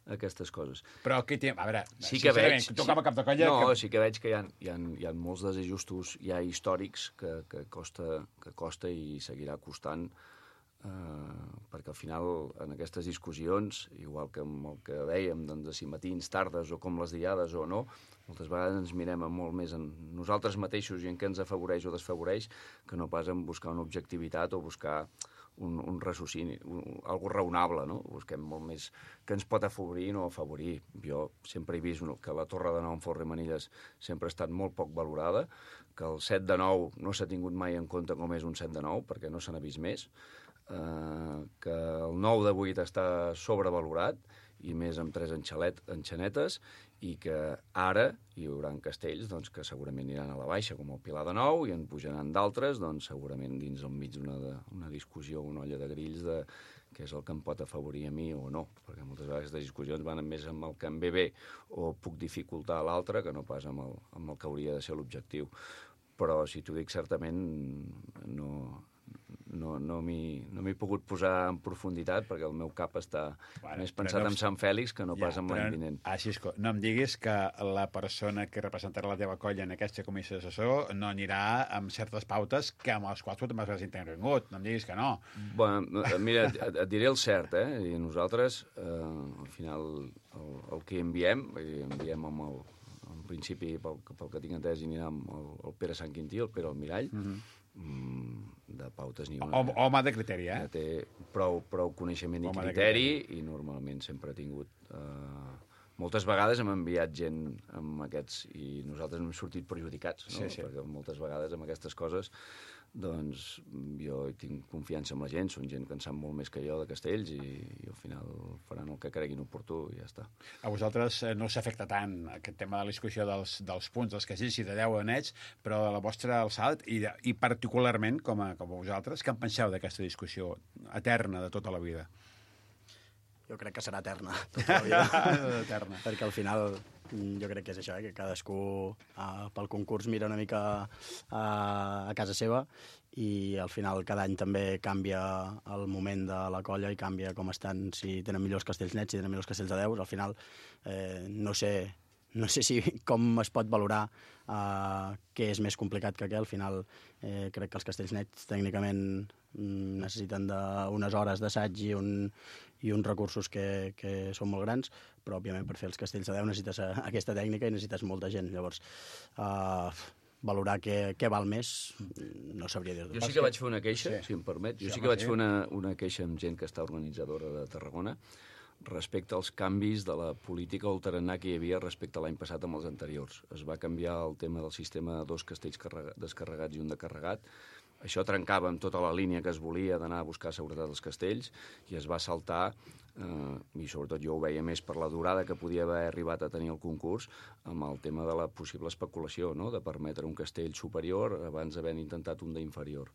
aquestes coses. Però aquí tinc... A veure, sí que veig, tu com a cap de colla... No, que... sí que veig que hi ha, hi ha, hi ha molts desajustos ja històrics que, que, costa, que costa i seguirà costant, eh, perquè al final en aquestes discussions, igual que amb el que dèiem, doncs, de si matins, tardes o com les diades o no, moltes vegades ens mirem molt més en nosaltres mateixos i en què ens afavoreix o desfavoreix que no pas en buscar una objectivitat o buscar un, un raciocini, un, algo raonable, no? Busquem molt més que ens pot afavorir i no afavorir. Jo sempre he vist que la Torre de Nou en Folre Manilles sempre ha estat molt poc valorada, que el set de nou no s'ha tingut mai en compte com és un set de nou, perquè no se n'ha vist més, eh, que el nou de vuit està sobrevalorat, i més amb tres enxalet, enxanetes, i que ara hi haurà castells doncs, que segurament aniran a la baixa, com el Pilar de Nou, i en pujaran d'altres, doncs, segurament dins del mig d'una una discussió, una olla de grills, de què és el que em pot afavorir a mi o no, perquè moltes vegades les discussions van més amb el que em ve bé o puc dificultar l'altre que no pas amb el, amb el que hauria de ser l'objectiu. Però, si t'ho dic, certament no... no, no m'hi no m'hi he pogut posar en profunditat perquè el meu cap està bueno, més pensat no... en Sant Fèlix que no ja, pas en l'any vinent. Ah, Xisco, no em diguis que la persona que representarà la teva colla en aquesta comissió d'assessor no anirà amb certes pautes que amb les quals tu també has intervingut. No em diguis que no. Bueno, mira, et, et diré el cert, eh? I nosaltres, eh, al final, el, el que enviem, enviem amb el, en principi, pel, pel que tinc entès, anirà amb el, el Pere Sant Quintí, el Pere Almirall, mm-hmm. de pautes ni una. Home, home de criteri, eh? Té prou, prou coneixement i criteri, criteri i normalment sempre ha tingut... Eh, moltes vegades hem enviat gent amb aquests i nosaltres hem sortit perjudicats, no? Sí, sí. Perquè moltes vegades amb aquestes coses doncs jo tinc confiança en la gent, són gent que en sap molt més que jo de castells i, i al final faran el que creguin oportú i ja està. A vosaltres no s'afecta tant aquest tema de la discussió dels, dels punts, dels castells, si de deu nets, però de la vostra alçada i, de, i particularment com a, com a vosaltres, què en penseu d'aquesta discussió eterna de tota la vida? Jo crec que serà eterna, tota la vida. Eterna. Perquè al final jo crec que és això, eh? Que cadascú uh, pel concurs mira una mica uh, a casa seva i al final cada any també canvia el moment de la colla i canvia com estan, si tenen millors castells nets, si tenen millors castells de deus. Al final eh, no sé no sé si com es pot valorar uh, què és més complicat que què. Al final eh, crec que els castells nets tècnicament mm, necessiten d'unes hores d'assaig i, un, i uns recursos que, que són molt grans, però òbviament per fer els castells de deu necessites uh, aquesta tècnica i necessites molta gent. Llavors, uh, valorar què, què val més, no sabria dir-ho. Jo sí que vaig fer una queixa, sí. si em permet. Jo sí, sí que vaig sí. fer una, una queixa amb gent que està organitzadora de Tarragona respecte als canvis de la política o el tarannà que hi havia respecte a l'any passat amb els anteriors. Es va canviar el tema del sistema de dos castells descarregats i un de carregat. Això trencava amb tota la línia que es volia d'anar a buscar seguretat als castells i es va saltar, eh, i sobretot jo ho veia més per la durada que podia haver arribat a tenir el concurs, amb el tema de la possible especulació, no?, de permetre un castell superior abans d'haver intentat un d'inferior.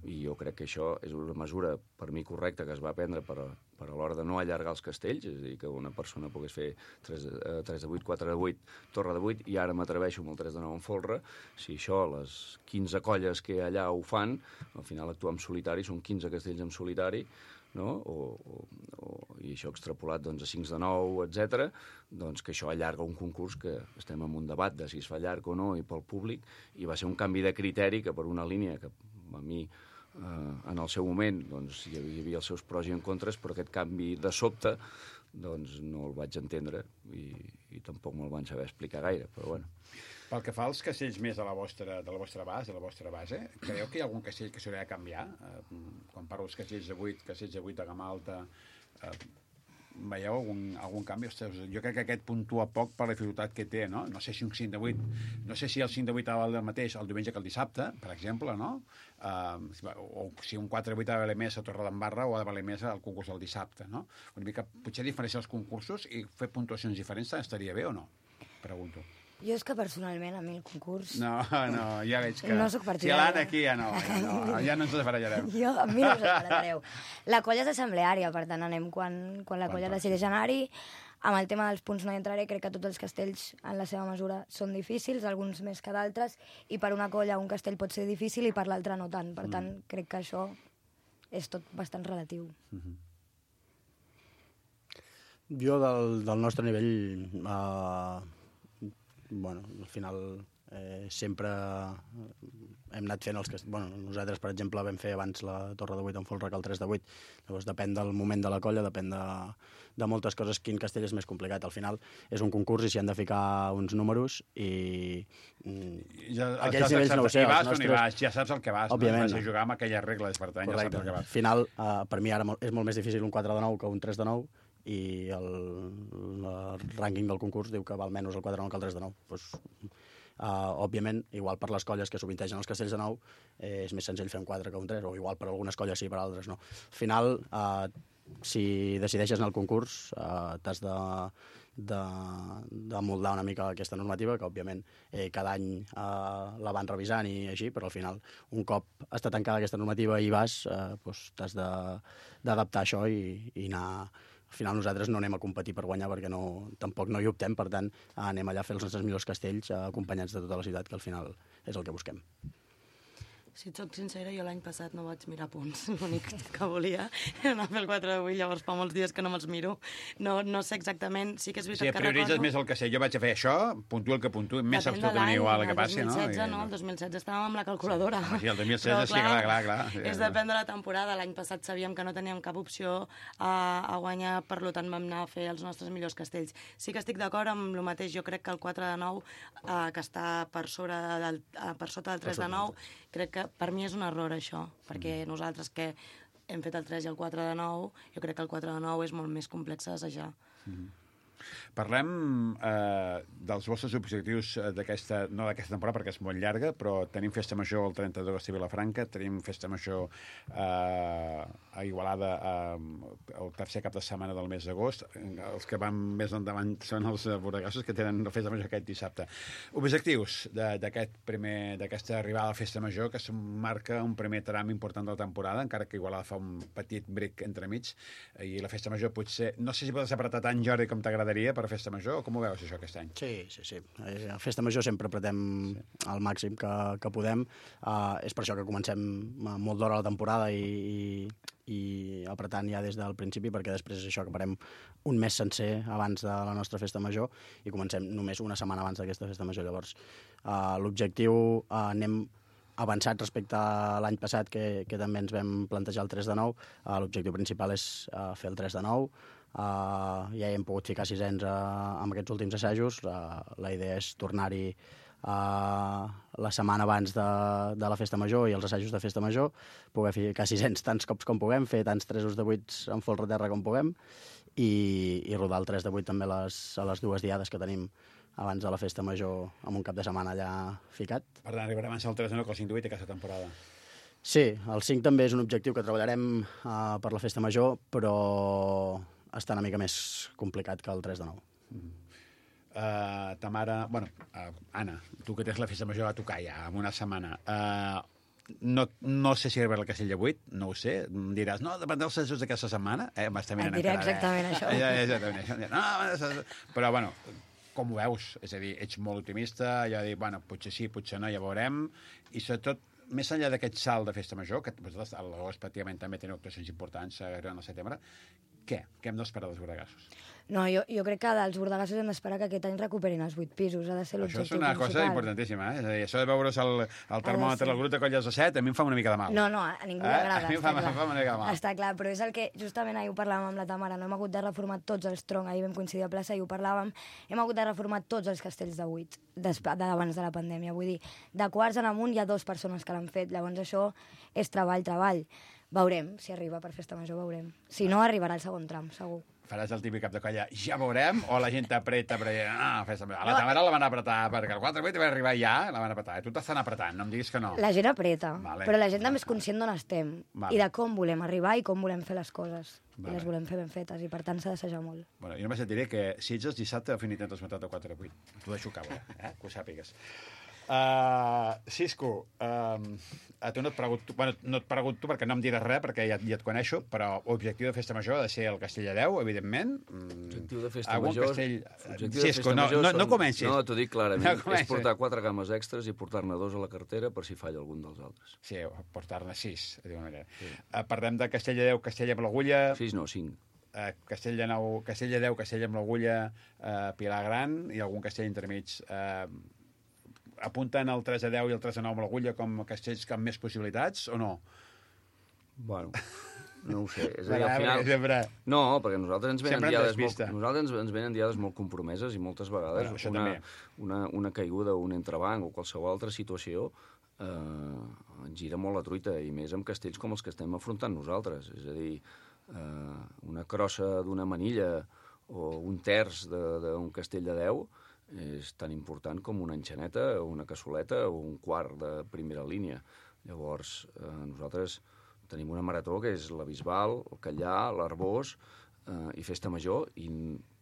I jo crec que això és una mesura, per mi, correcta, que es va prendre per a, per a l'hora de no allargar els castells, és a dir, que una persona pogués fer tres de vuit, quatre de vuit, torre de vuit, i ara m'atreveixo amb el tres de nou en folre. Si això, les quinze colles que allà ho fan, al final actuar en solitari, són quinze castells en solitari, no? o, o, o, i això extrapolat doncs, a cinc de nou, etcètera, doncs que això allarga un concurs que estem en un debat de si es fa llarg o no i pel públic, i va ser un canvi de criteri que per una línia que a mi eh, en el seu moment doncs, hi havia els seus pros i en contres, però aquest canvi de sobte doncs, no el vaig entendre i, i tampoc me'l van saber explicar gaire, però bueno. Pel que fa als castells més de la vostra, de la vostra base, de la vostra base, creieu que hi ha algun castell que s'hauria de canviar? Eh, quan parlo dels castells de vuit, castells de vuit de gamma alta, eh, veieu algun, algun canvi? Ostres, jo crec que aquest puntua poc per la dificultat que té, no? No sé si un cinc de vuit, no sé si el cinc de vuit ha de valer el mateix el diumenge que el dissabte, per exemple, no? Uh, o si un quatre de vuit ha de valer més a Torredembarra o ha de valer més al concurs del dissabte, no? Una mica, potser diferenciar els concursos i fer puntuacions diferents estaria bé o no? Pregunto. Jo és que personalment a mi el concurs... No, no, ja veig que... No soc si partidària. l'Anna aquí ja no, ja no, ja no ens desbarallarem. Jo, a mi no us desbarallareu. La colla és assembleària, per tant anem quan, quan la colla decideix anar-hi. Amb el tema dels punts no hi entraré, crec que tots els castells en la seva mesura són difícils, alguns més que d'altres, i per una colla un castell pot ser difícil i per l'altre no tant. Per tant, mm. crec que això és tot bastant relatiu. Mm-hmm. Jo del, del nostre nivell... Uh... Bueno, al final eh, sempre hem anat fent els que... Bueno, nosaltres, per exemple, vam fer abans la torre de vuit en folre que el tres de vuit. Llavors depèn del moment de la colla, depèn de, de moltes coses, quin castell és més complicat. Al final és un concurs i s'hi han de ficar uns números i... Ja, aquells nivells no ho sé. Hi vas nostres... o no hi vas, ja saps el que vas. Òbviament. No? Vas a jugar amb aquelles regles, per tant, correcte. Ja saps el que vas. Al final, eh, per mi ara és molt més difícil un quatre de nou que un tres de nou, i el, el rànquing del concurs diu que val menys el quatre de nou que el tres de nou. Pues, uh, òbviament, igual per les colles que sovintegen els castells de nou, eh, és més senzill fer un quatre que un tres, o igual per algunes colles sí, per altres no. Al final, uh, si decideixes anar al concurs, uh, t'has de, de, de moldar una mica aquesta normativa, que òbviament eh, cada any uh, la van revisant i així, però al final, un cop està tancada aquesta normativa i vas, uh, pues, t'has d'adaptar això i, i anar... Al final nosaltres no anem a competir per guanyar perquè no, tampoc no hi optem, per tant anem allà a fer els nostres millors castells acompanyats de tota la ciutat, que al final és el que busquem. Si et soc sincera, jo l'any passat no vaig mirar punts. L'únic que volia era anar a fer el quatre de vuit, llavors fa molts dies que no me'ls miro. No, no sé exactament, sí que és veritat sí, que prioritzes recordo... més el que sé. Jo vaig a fer això, puntuo el que puntuo, més Depèn absolutament igual el que passi, no? El dos mil setze, no? El dos mil setze estàvem amb la calculadora. Sí, sí el dos mil setze sí, clar, clar, clar. Sí, és depèn de la temporada. L'any passat sabíem que no teníem cap opció a, a guanyar, per tant vam anar a fer els nostres millors castells. Sí que estic d'acord amb el mateix. Jo crec que el quatre de nou, eh, que està per, sobre del, eh, per sota del tres de nou, crec que per mi és un error això, perquè nosaltres que hem fet el tres i el quatre de nou, jo crec que el quatre de nou és molt més complex d'assajar. Mm-hmm. Parlem eh, dels vostres objectius d'aquesta, no d'aquesta temporada perquè és molt llarga, però tenim Festa Major el trenta d'agost a Vilafranca, tenim Festa Major eh, a Igualada eh, el tercer cap de setmana del mes d'agost. Els que van més endavant són els borregassos que tenen la Festa Major aquest dissabte. Objectius d'aquest primer, d'aquesta arribada a la Festa Major, que marca un primer tram important de la temporada, encara que Igualada fa un petit bric entremig, i la Festa Major potser, no sé si pot separar tant, Jordi, com t'agradaria, graderia per Festa Major, o com ho veus això aquest any? Sí, sí, sí. A Festa Major sempre apretem sí. al màxim que, que podem. Uh, és per això que comencem molt d'hora la temporada i, i, i apretant ja des del principi, perquè després és això, que parem un mes sencer abans de la nostra Festa Major i comencem només una setmana abans d'aquesta Festa Major. Llavors, uh, l'objectiu uh, anem avançat respecte a l'any passat, que, que també ens vam plantejar el tres de nou. Uh, l'objectiu principal és uh, fer el tres de nou. Uh, ja hi hem pogut ficar sisens uh, amb aquests últims assajos. Uh, la idea és tornar-hi uh, la setmana abans de, de la Festa Major i els assajos de Festa Major, poder ficar sisens tants cops com puguem, fer tants tresos de vuits en folre terra com puguem i, i rodar el tres de vuit també a les, a les dues diades que tenim abans de la Festa Major, amb un cap de setmana allà ficat. Per tant, arribarem a ser el tres de nou que el cinc de vuit aquesta temporada. Sí, el cinc també és un objectiu que treballarem uh, per la Festa Major, però està una mica més complicat que el tres de nou. Mm. Uh, ta mare... Bueno, uh, Anna, tu que tens la Festa Major a tocar ja, en una setmana... Uh, No, no sé si arribarà el Castell de vuit, no ho sé. Em diràs, no, depèn dels assajos d'aquesta setmana. Eh, m'està mirant Et diré encara, exactament eh? això. Ja, exactament això. No, però, bueno, com ho veus? És a dir, ets molt optimista, ja dic, bueno, potser sí, potser no, ja veurem. I sobretot, més enllà d'aquest salt de Festa Major, que vosaltres a l'agost pràcticament també teniu actuacions importants arribant al setembre, què? Què hem d'esperar dels bordegassos? No, jo, jo crec que dels bordegassos hem d'esperar que aquest any recuperin els vuit pisos. Ha de ser l'objectiu principal. Això és una principal. cosa importantíssima, eh? És a dir, això de veure's el, el termòmetre del grup de colles de set, a mi em fa una mica de mal. No, no, a ningú eh? li agrada. A mi em fa, fa una mica de mal. Està clar, però és el que justament ahir ho parlàvem amb la Tamara, no hem hagut de reformar tots els troncs, ahir vam coincidir a plaça i ho parlàvem, hem hagut de reformar tots els castells de vuit d'abans de la pandèmia. Vull dir, de quarts en amunt hi ha dues persones que l'han fet, llavors això és treball, treball. Veurem si arriba per Festa Major, veurem. Si no, arribarà el segon tram, segur. Faràs el típic cap de colla, ja veurem, o la gent t'apreta, però ah, Festa Major. A la Tamara la van apretar, perquè el quatre vuit va arribar ja, la van apretar. Tu t'estan apretant, no em diguis que no. La gent apreta, vale. Però la gent també és conscient d'on estem, vale. I de com volem arribar i com volem fer les coses. Vale. I les volem fer ben fetes, i per tant s'ha d'assajar molt. Bueno, jo només et diré que si ets el dissabte, definitivament t'has matat a quatre vuit. T'ho deixo caure, eh? Que ho sàpigues. Uh, Cisco, uh, a tu no et pregunto, bueno, no et pregunto perquè no em diràs res, perquè ja, ja et coneixo, però l'objectiu de Festa Major ha de ser el Castell de Deu, evidentment. L'objectiu de Festa Algun Major... Castell... Cisco, de Festa no, Major no, no comencis. No, t'ho dic clarament. No és portar quatre cames extres i portar-ne dos a la cartera per si falla algun dels altres. Sí, portar-ne sis, de manera. Sí. Uh, parlem de Castell de Deu, Castell amb l'Agulla... Sis no, cinc. Uh, Castell de Nou, Castell de Deu, Castell amb l'Agulla, uh, Pilar Gran i algun castell intermig. Uh, apunten el tres a deu i el tres a nou amb l'Agulla com castells amb més possibilitats, o no? Bueno, no ho sé. És a dir, al final... Sempre... No, perquè nosaltres ens venen, diades molt, nosaltres ens, ens venen diades molt compromeses i moltes vegades bueno, una, una, una caiguda, un entrebanc o qualsevol altra situació eh, ens gira molt la truita, i més amb castells com els que estem afrontant nosaltres. És a dir, eh, una crossa d'una manilla o un terç d'un castell de deu és tan important com una enxaneta o una cassoleta o un quart de primera línia. Llavors, eh, nosaltres tenim una marató que és la Bisbal, el Callà, l'Arbós eh, i Festa Major, i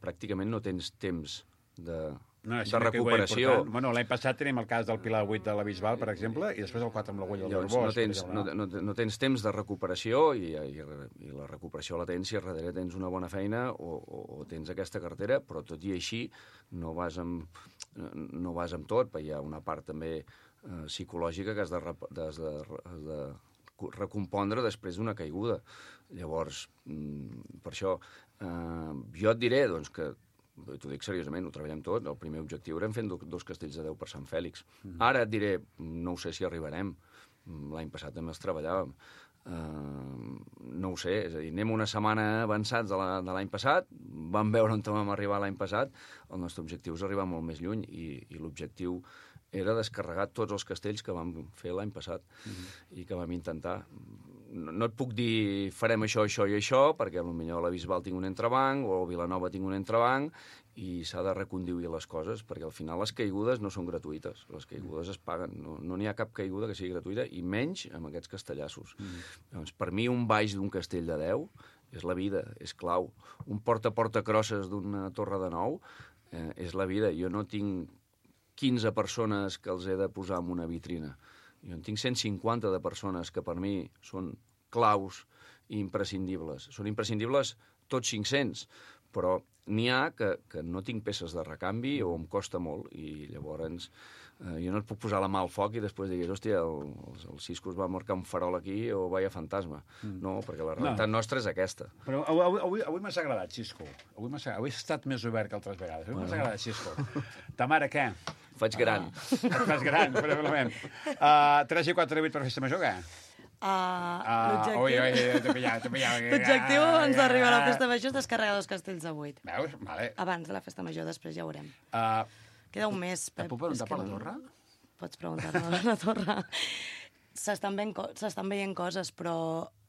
pràcticament no tens temps de, no, de recuperació. Bueno, l'any passat tenim el cas del Pilar vuit de la Bisbal, per exemple, i després el quatre amb l'Agulla del Arbós. No tens, no, no, no tens temps de recuperació, i, i, i la recuperació la tens si a darrere tens una bona feina o, o, o tens aquesta cartera, però tot i així no vas amb, no vas amb tot, perquè hi ha una part també eh, psicològica que has de, has de, has de recompondre després d'una caiguda. Llavors, per això, eh, jo et diré doncs, que, t'ho dic seriosament, ho treballem tot, el primer objectiu era fent dos castells de deu per Sant Fèlix. Mm. Ara et diré, no ho sé si arribarem, l'any passat també els treballàvem, Uh, no ho sé, és a dir, anem una setmana avançats de l'any passat, vam veure on vam arribar l'any passat, el nostre objectiu és arribar molt més lluny, i, i l'objectiu era descarregar tots els castells que vam fer l'any passat, mm-hmm. i que vam intentar. No, no et puc dir farem això, això i això, perquè potser a la Bisbal tinc un entrebanc, o a Vilanova tinc un entrebanc, i s'ha de reconduir les coses, perquè al final les caigudes no són gratuïtes, les caigudes es paguen, no n'hi no ha cap caiguda que sigui gratuïta, i menys amb aquests castellassos. Mm. Doncs, per mi, un baix d'un castell de deu és la vida, és clau. Un porta-porta crosses d'una torre de nou eh, és la vida. Jo no tinc quinze persones que els he de posar en una vitrina. Jo en tinc cent cinquanta de persones que per mi són claus i imprescindibles. Són imprescindibles tots cinc-cents, però n'hi ha que, que no tinc peces de recanvi o em costa molt, i llavors eh, jo no et puc posar la mà al foc i després diguis, hòstia, el, el, el Cisco es va marcar un farol aquí o vaya fantasma. Mm. No, perquè la realitat no. nostra és aquesta. Però avui, avui, avui m'has agradat, Cisco. Avui m'has avui has estat més obert que altres vegades. Avui bueno. m'has agradat, Cisco. Ta mare, què? Faig gran. Ah, et fas gran, probablement. Uh, tres i quatre de vuit per festa major, què? Uh, uh, ui, ui, t'he pillat, t'he pillat. L'objectiu abans d'arribar a la festa major és descarregar dos castells de vuit. Veus? Vale. Abans de la festa major, després ja ho veurem. Uh, Queda un mes, Pep. Et puc preguntar per la torre? Pots preguntar-me per la torre. S'estan veient, co veient coses, però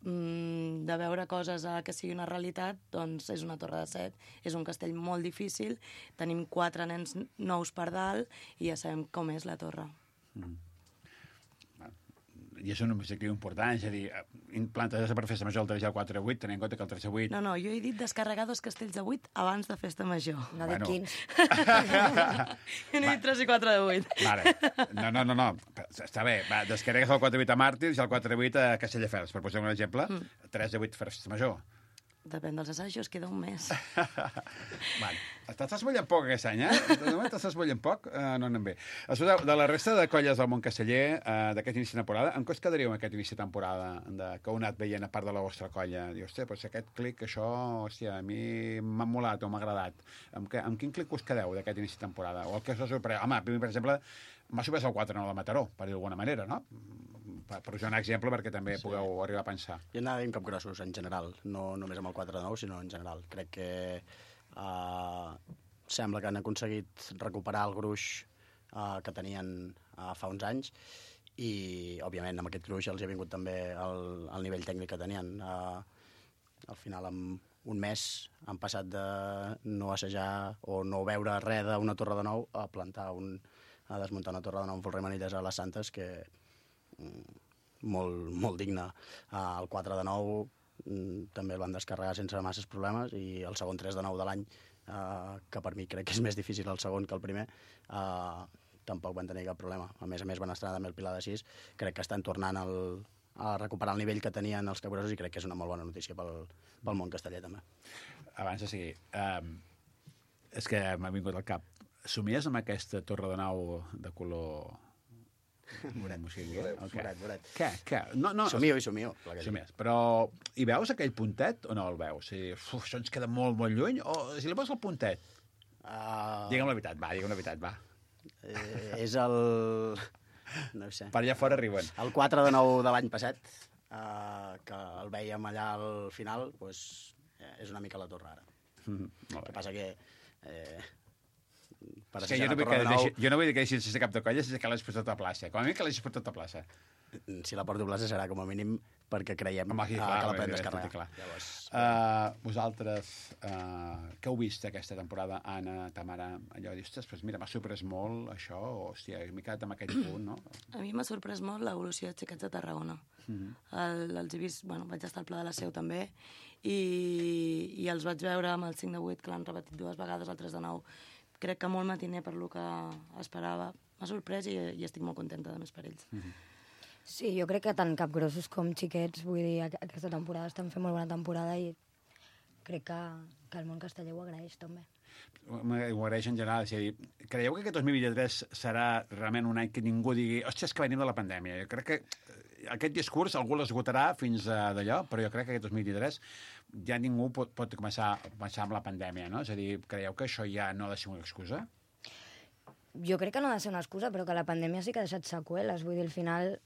mm, de veure coses a que sigui una realitat, doncs és una torre de set, és un castell molt difícil, tenim quatre nens nous per dalt i ja sabem com és la torre. Mm. I és un objectiu important, és a dir, plantes per festa major el tres i el quatre a vuit, tenint en compte que el tres a vuit... No, no, jo he dit descarregar dos castells de vuit abans de festa major. No bueno. dic quins. Jo n'he dit tres i quatre de vuit. Vale. No, no, no, no. Està bé. Va, descarregues el quatre a vuit a Màrtirs i el quatre a vuit a Castelldefels, per posar un exemple. Mm. tres a vuit per festa major. Depèn dels assajos, queda un mes. Vale. T'estàs mullant poc aquest any, eh? De moment t'estàs mullant poc, uh, no anem bé. Escolta, de la resta de colles del món casteller, uh, d'aquest inici de temporada, en què us quedaríeu amb aquest inici de temporada de, que heu anat veient a part de la vostra colla? Diu, hòstia, però si aquest clic, això, hòstia, a mi m'ha molat o m'ha agradat. Amb, que, amb quin clic us quedeu d'aquest inici de temporada? O el que us ha sorprès? Home, per exemple, m'ha sorprès el quatre nou de Mataró, per dir d'alguna manera, no? Per posar un exemple perquè també sí. pugueu arribar a pensar. Jo anava dient capgrossos en general, no només amb el quatre nou, sinó en general. Crec que uh, sembla que han aconseguit recuperar el gruix uh, que tenien uh, fa uns anys i, òbviament, amb aquest gruix els ha vingut també el, el nivell tècnic que tenien. Uh, al final, en un mes han passat de no assajar o no veure res d'una torre de nou a plantar un, a desmuntar una torre de nou amb Folrer Manilles a les Santes, que molt, molt digne. Uh, el quatre de nou mm, també el van descarregar sense masses problemes i el segon tres de nou de l'any, uh, que per mi crec que és més difícil el segon que el primer, uh, tampoc van tenir cap problema. A més a més van estrenar també el Pilar de sis. Crec que estan tornant el, a recuperar el nivell que tenien els capgrossos i crec que és una molt bona notícia pel, pel món casteller també. Abans de seguir, um, és que m'ha vingut al cap. Somies amb aquesta torre de nou de color... Moret, o sigui, moret, okay. moret, moret. Què, què? No, no, somio i somio. Somies. Però hi veus aquell puntet o no el veus? O sigui, uf, això ens queda molt, molt lluny? O si li poses el puntet? Uh... Digue'm la veritat, va, digue'm la veritat, va. Eh, és el... No ho sé. Per allà fora arriben. El quatre de nou de l'any passat, uh, que el vèiem allà al final, doncs, és una mica la torre ara. Mm, el que passa que... Eh, Per és que jo no, vull que nou... deixi, jo no vull que deixis sense cap de colla sense que l'hagis portat a plaça. Com a mi que l'hagis portat a plaça. Si la porto a plaça serà com a mínim perquè creiem Home, aquí, clar, uh, que la podem descarregar. Llavors, uh, vosaltres, uh, què heu vist aquesta temporada, Anna, Tamara? Allò dius, pues mira, m'ha sorprès molt això, o hòstia, m'he quedat amb aquell punt, no? A mi m'ha sorprès molt l'evolució de Xiquets de Tarragona. Mm-hmm. El, els he vist, bueno, vaig estar al Pla de la Seu també, i, i els vaig veure amb el cinc de vuit, que l'han repetit dues vegades, el tres de nou. Crec que molt matiner per lo que esperava. M'ha sorprès i, i estic molt contenta de més per ells. Mm-hmm. Sí, jo crec que tant capgrossos com xiquets, vull dir, aquesta temporada estan fent molt bona temporada i crec que, que el món casteller ho agraeix també. Ho agraeix en general. És a dir, creieu que aquest dos mil vint-i-tres serà realment un any que ningú digui hòstia, és que venim de la pandèmia? Jo crec que aquest discurs algú l'esgotarà fins a d'allò, però jo crec que aquest dos mil vint-i-tres ja ningú pot, pot començar a pensar amb la pandèmia, no? És a dir, creieu que això ja no ha de ser una excusa? Jo crec que no ha de ser una excusa, però que la pandèmia sí que ha deixat seqüeles. Vull dir, al final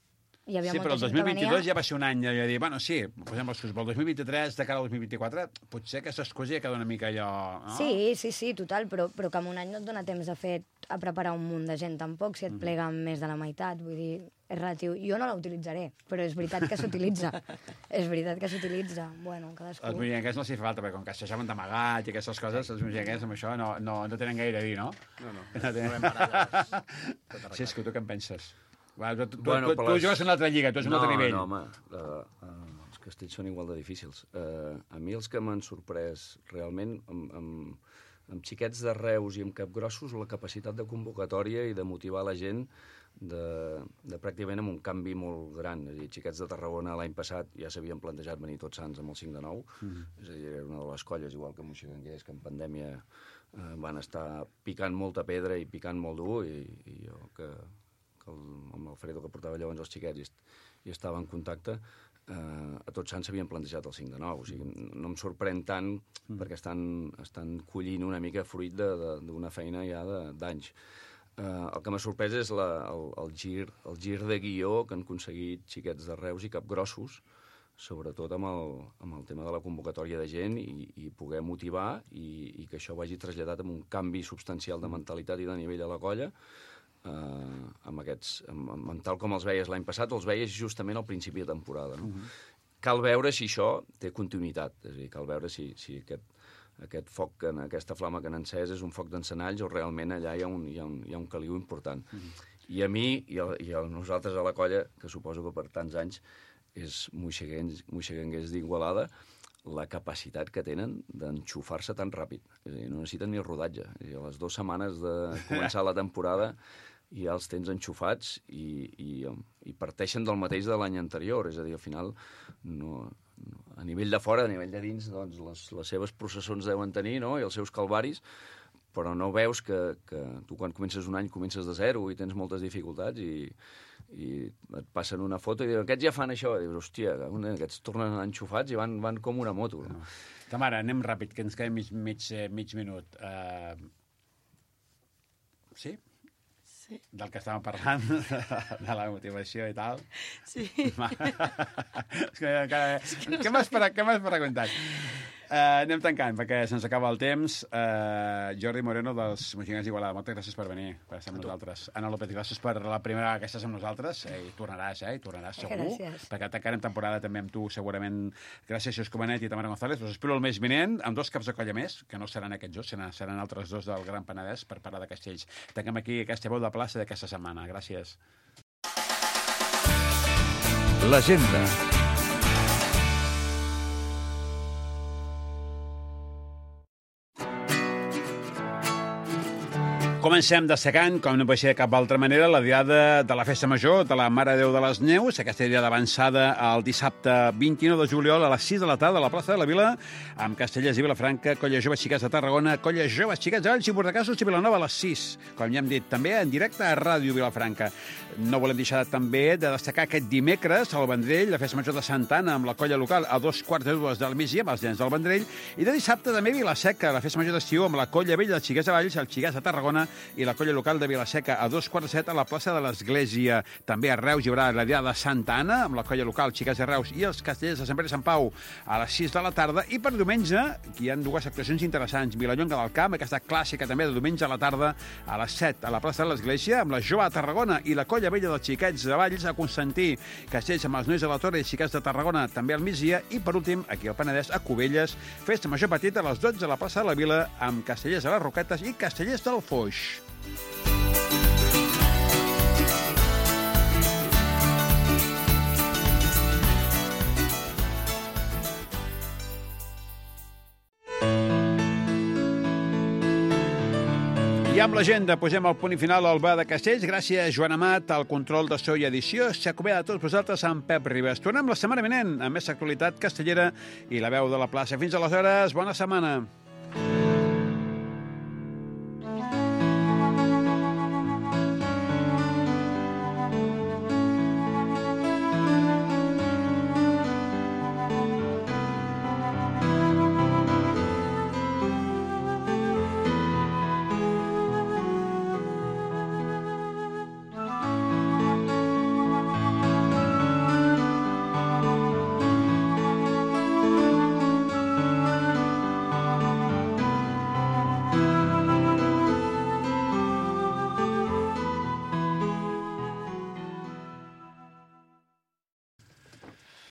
hi havia sí, molta però el dos mil vint-i-dos venia... ja va ser un any de dir, bueno, sí, posem l'excusa, però el dos mil vint-i-tres, de cara al dos mil vint-i-quatre, potser aquesta excusa ja queda una mica allò... No? Sí, sí, sí, total, però, però que en un any no et dona temps de fer a preparar un munt de gent tampoc, si et plega mm. més de la meitat, vull dir, és relatiu. Jo no la utilitzaré, però és veritat que s'utilitza. És veritat que s'utilitza. Bueno, cadascú... Els muñequers no s'hi fa falta, perquè com que s'aixaven d'amagat i aquestes coses, els muñequers amb això no, no, no tenen gaire a dir, no? No, no. No, tenen... no hem parat. Sí, és que tu què en penses? Va, tu, tu, bueno, tu, tu les... jugues en una altra lliga, tu ets en un no, altre nivell. No, home, uh, uh, els castells són igual de difícils. Uh, a mi els que m'han sorprès realment, amb, amb, amb xiquets de Reus i amb capgrossos, la capacitat de convocatòria i de motivar la gent de, de pràcticament amb un canvi molt gran. És a dir, xiquets de Tarragona l'any passat ja s'havien plantejat venir Tots Sants amb el cinc de nou, mm. és a dir, era una de les colles, igual que Moixigranguers, que en pandèmia eh, van estar picant molta pedra i picant molt dur, i, i jo, que, que el, amb l'Alfredo, que portava llavors els xiquets i, i estava en contacte, Uh, a Tots Sants s'havien plantejat el cinc de nou, o sigui, no em sorprèn tant mm. perquè estan, estan collint una mica fruit d'una feina ja d'anys. Uh, el que m'ha sorprès és la, el, el, gir, el gir de guió que han aconseguit xiquets de Reus i Capgrossos, sobretot amb el, amb el tema de la convocatòria de gent i, i poder motivar i, i que això vagi traslladat amb un canvi substancial de mentalitat i de nivell a la colla. Uh, amb aquests, amb, amb tal com els veies l'any passat, els veies justament al principi de temporada. No? Uh-huh. Cal veure si això té continuïtat, és a dir, cal veure si, si aquest, aquest foc, que, aquesta flama que han encès és un foc d'encenalls o realment allà hi ha un, hi ha un, hi ha un caliu important. Uh-huh. I a mi i a, i a nosaltres a la colla, que suposo que per tants anys és moixigranguers d'Igualada, la capacitat que tenen d'enxufar-se tan ràpid. És a dir, no necessiten ni rodatge. És a dir, a les dues setmanes de començar la temporada i ja els tens enxufats i, i, i parteixen del mateix de l'any anterior. És a dir, al final, no, no, a nivell de fora, a nivell de dins, doncs, les, les seves processons deuen tenir, no?, i els seus calvaris, però no veus que, que tu quan comences un any comences de zero i tens moltes dificultats i, i et passen una foto i diuen, aquests ja fan això. I dius, hòstia, aquests tornen enxufats i van, van com una moto. No? Tamara, anem ràpid, que ens queda mig, mig, mig minut. Uh... Sí? Sí. Del que estàvem parlant, de la motivació i tal. Sí. És que, que, què m'has preguntat? Uh, anem tancant, perquè se'ns acaba el temps. Uh, Jordi Moreno, dels Moixigranguers d'Igualada, moltes gràcies per venir, per estar amb nosaltres. Ana López, gràcies per la primera vegada que estàs amb nosaltres. Eh, I tornaràs, eh? I tornaràs segur. Gràcies. Perquè tancarem temporada també amb tu, segurament. Gràcies, Xus Comanet i Tamara González. Us espero el mes vinent, amb dos caps de colla més, que no seran aquests dos, seran, seran altres dos del Gran Penedès per parlar de Castells. Tanquem aquí aquesta veu de plaça d'aquesta setmana. Gràcies. L'agenda. Comencem destacant, com no pot ser de cap altra manera, la diada de la Festa Major de la Mare de Déu de les Neus, aquesta diada avançada el dissabte vint-i-nou de juliol a les sis de la tarda a la plaça de la Vila, amb Castellers i Vilafranca, Colla Joves Xiquets de Tarragona, Colla Joves Xiquets de Valls i Bordacassos i Vilanova a les sis, com ja hem dit, també en directe a Ràdio Vilafranca. No volem deixar també de destacar aquest dimecres al Vendrell, la Festa Major de Santa Anna, amb la colla local a dos quarts de dues del migdia, amb els nens del Vendrell, i de dissabte també Vilaseca, la Festa Major d'estiu, amb la colla vella dels Xiquets de Valls, els Xiquets de Tarragona i la colla local de Vilaseca a dos quarts de set a la plaça de l'Església. També a Reus hi haurà la diada de Santa Anna, amb la colla local Xiquets de Reus i els Castellers de Sant Pere i Sant Pau a les sis de la tarda. I per diumenge, aquí hi ha dues actuacions interessants. Vilallonga del Camp, aquesta clàssica també de diumenge a la tarda a les set a la plaça de l'Església, amb la Jove de Tarragona i la colla vella dels Xiquets de Valls a Constantí. Castells amb els Nois de la Torre i Xiquets de Tarragona també al migdia. I per últim, aquí al Penedès, a Cubelles, Festa Major Petita a les dotze a la plaça de la Vila, amb Castellers a les Roquetes i Castellers del Foix. I amb l'agenda posem el punt i final al bar de Castells. Gràcies, Joan Amat, al control de so i edició. S'acomiada a tots vosaltres amb Pep Ribas. Tornem la setmana vinent amb més actualitat castellera i la veu de la plaça. Fins aleshores, bona setmana.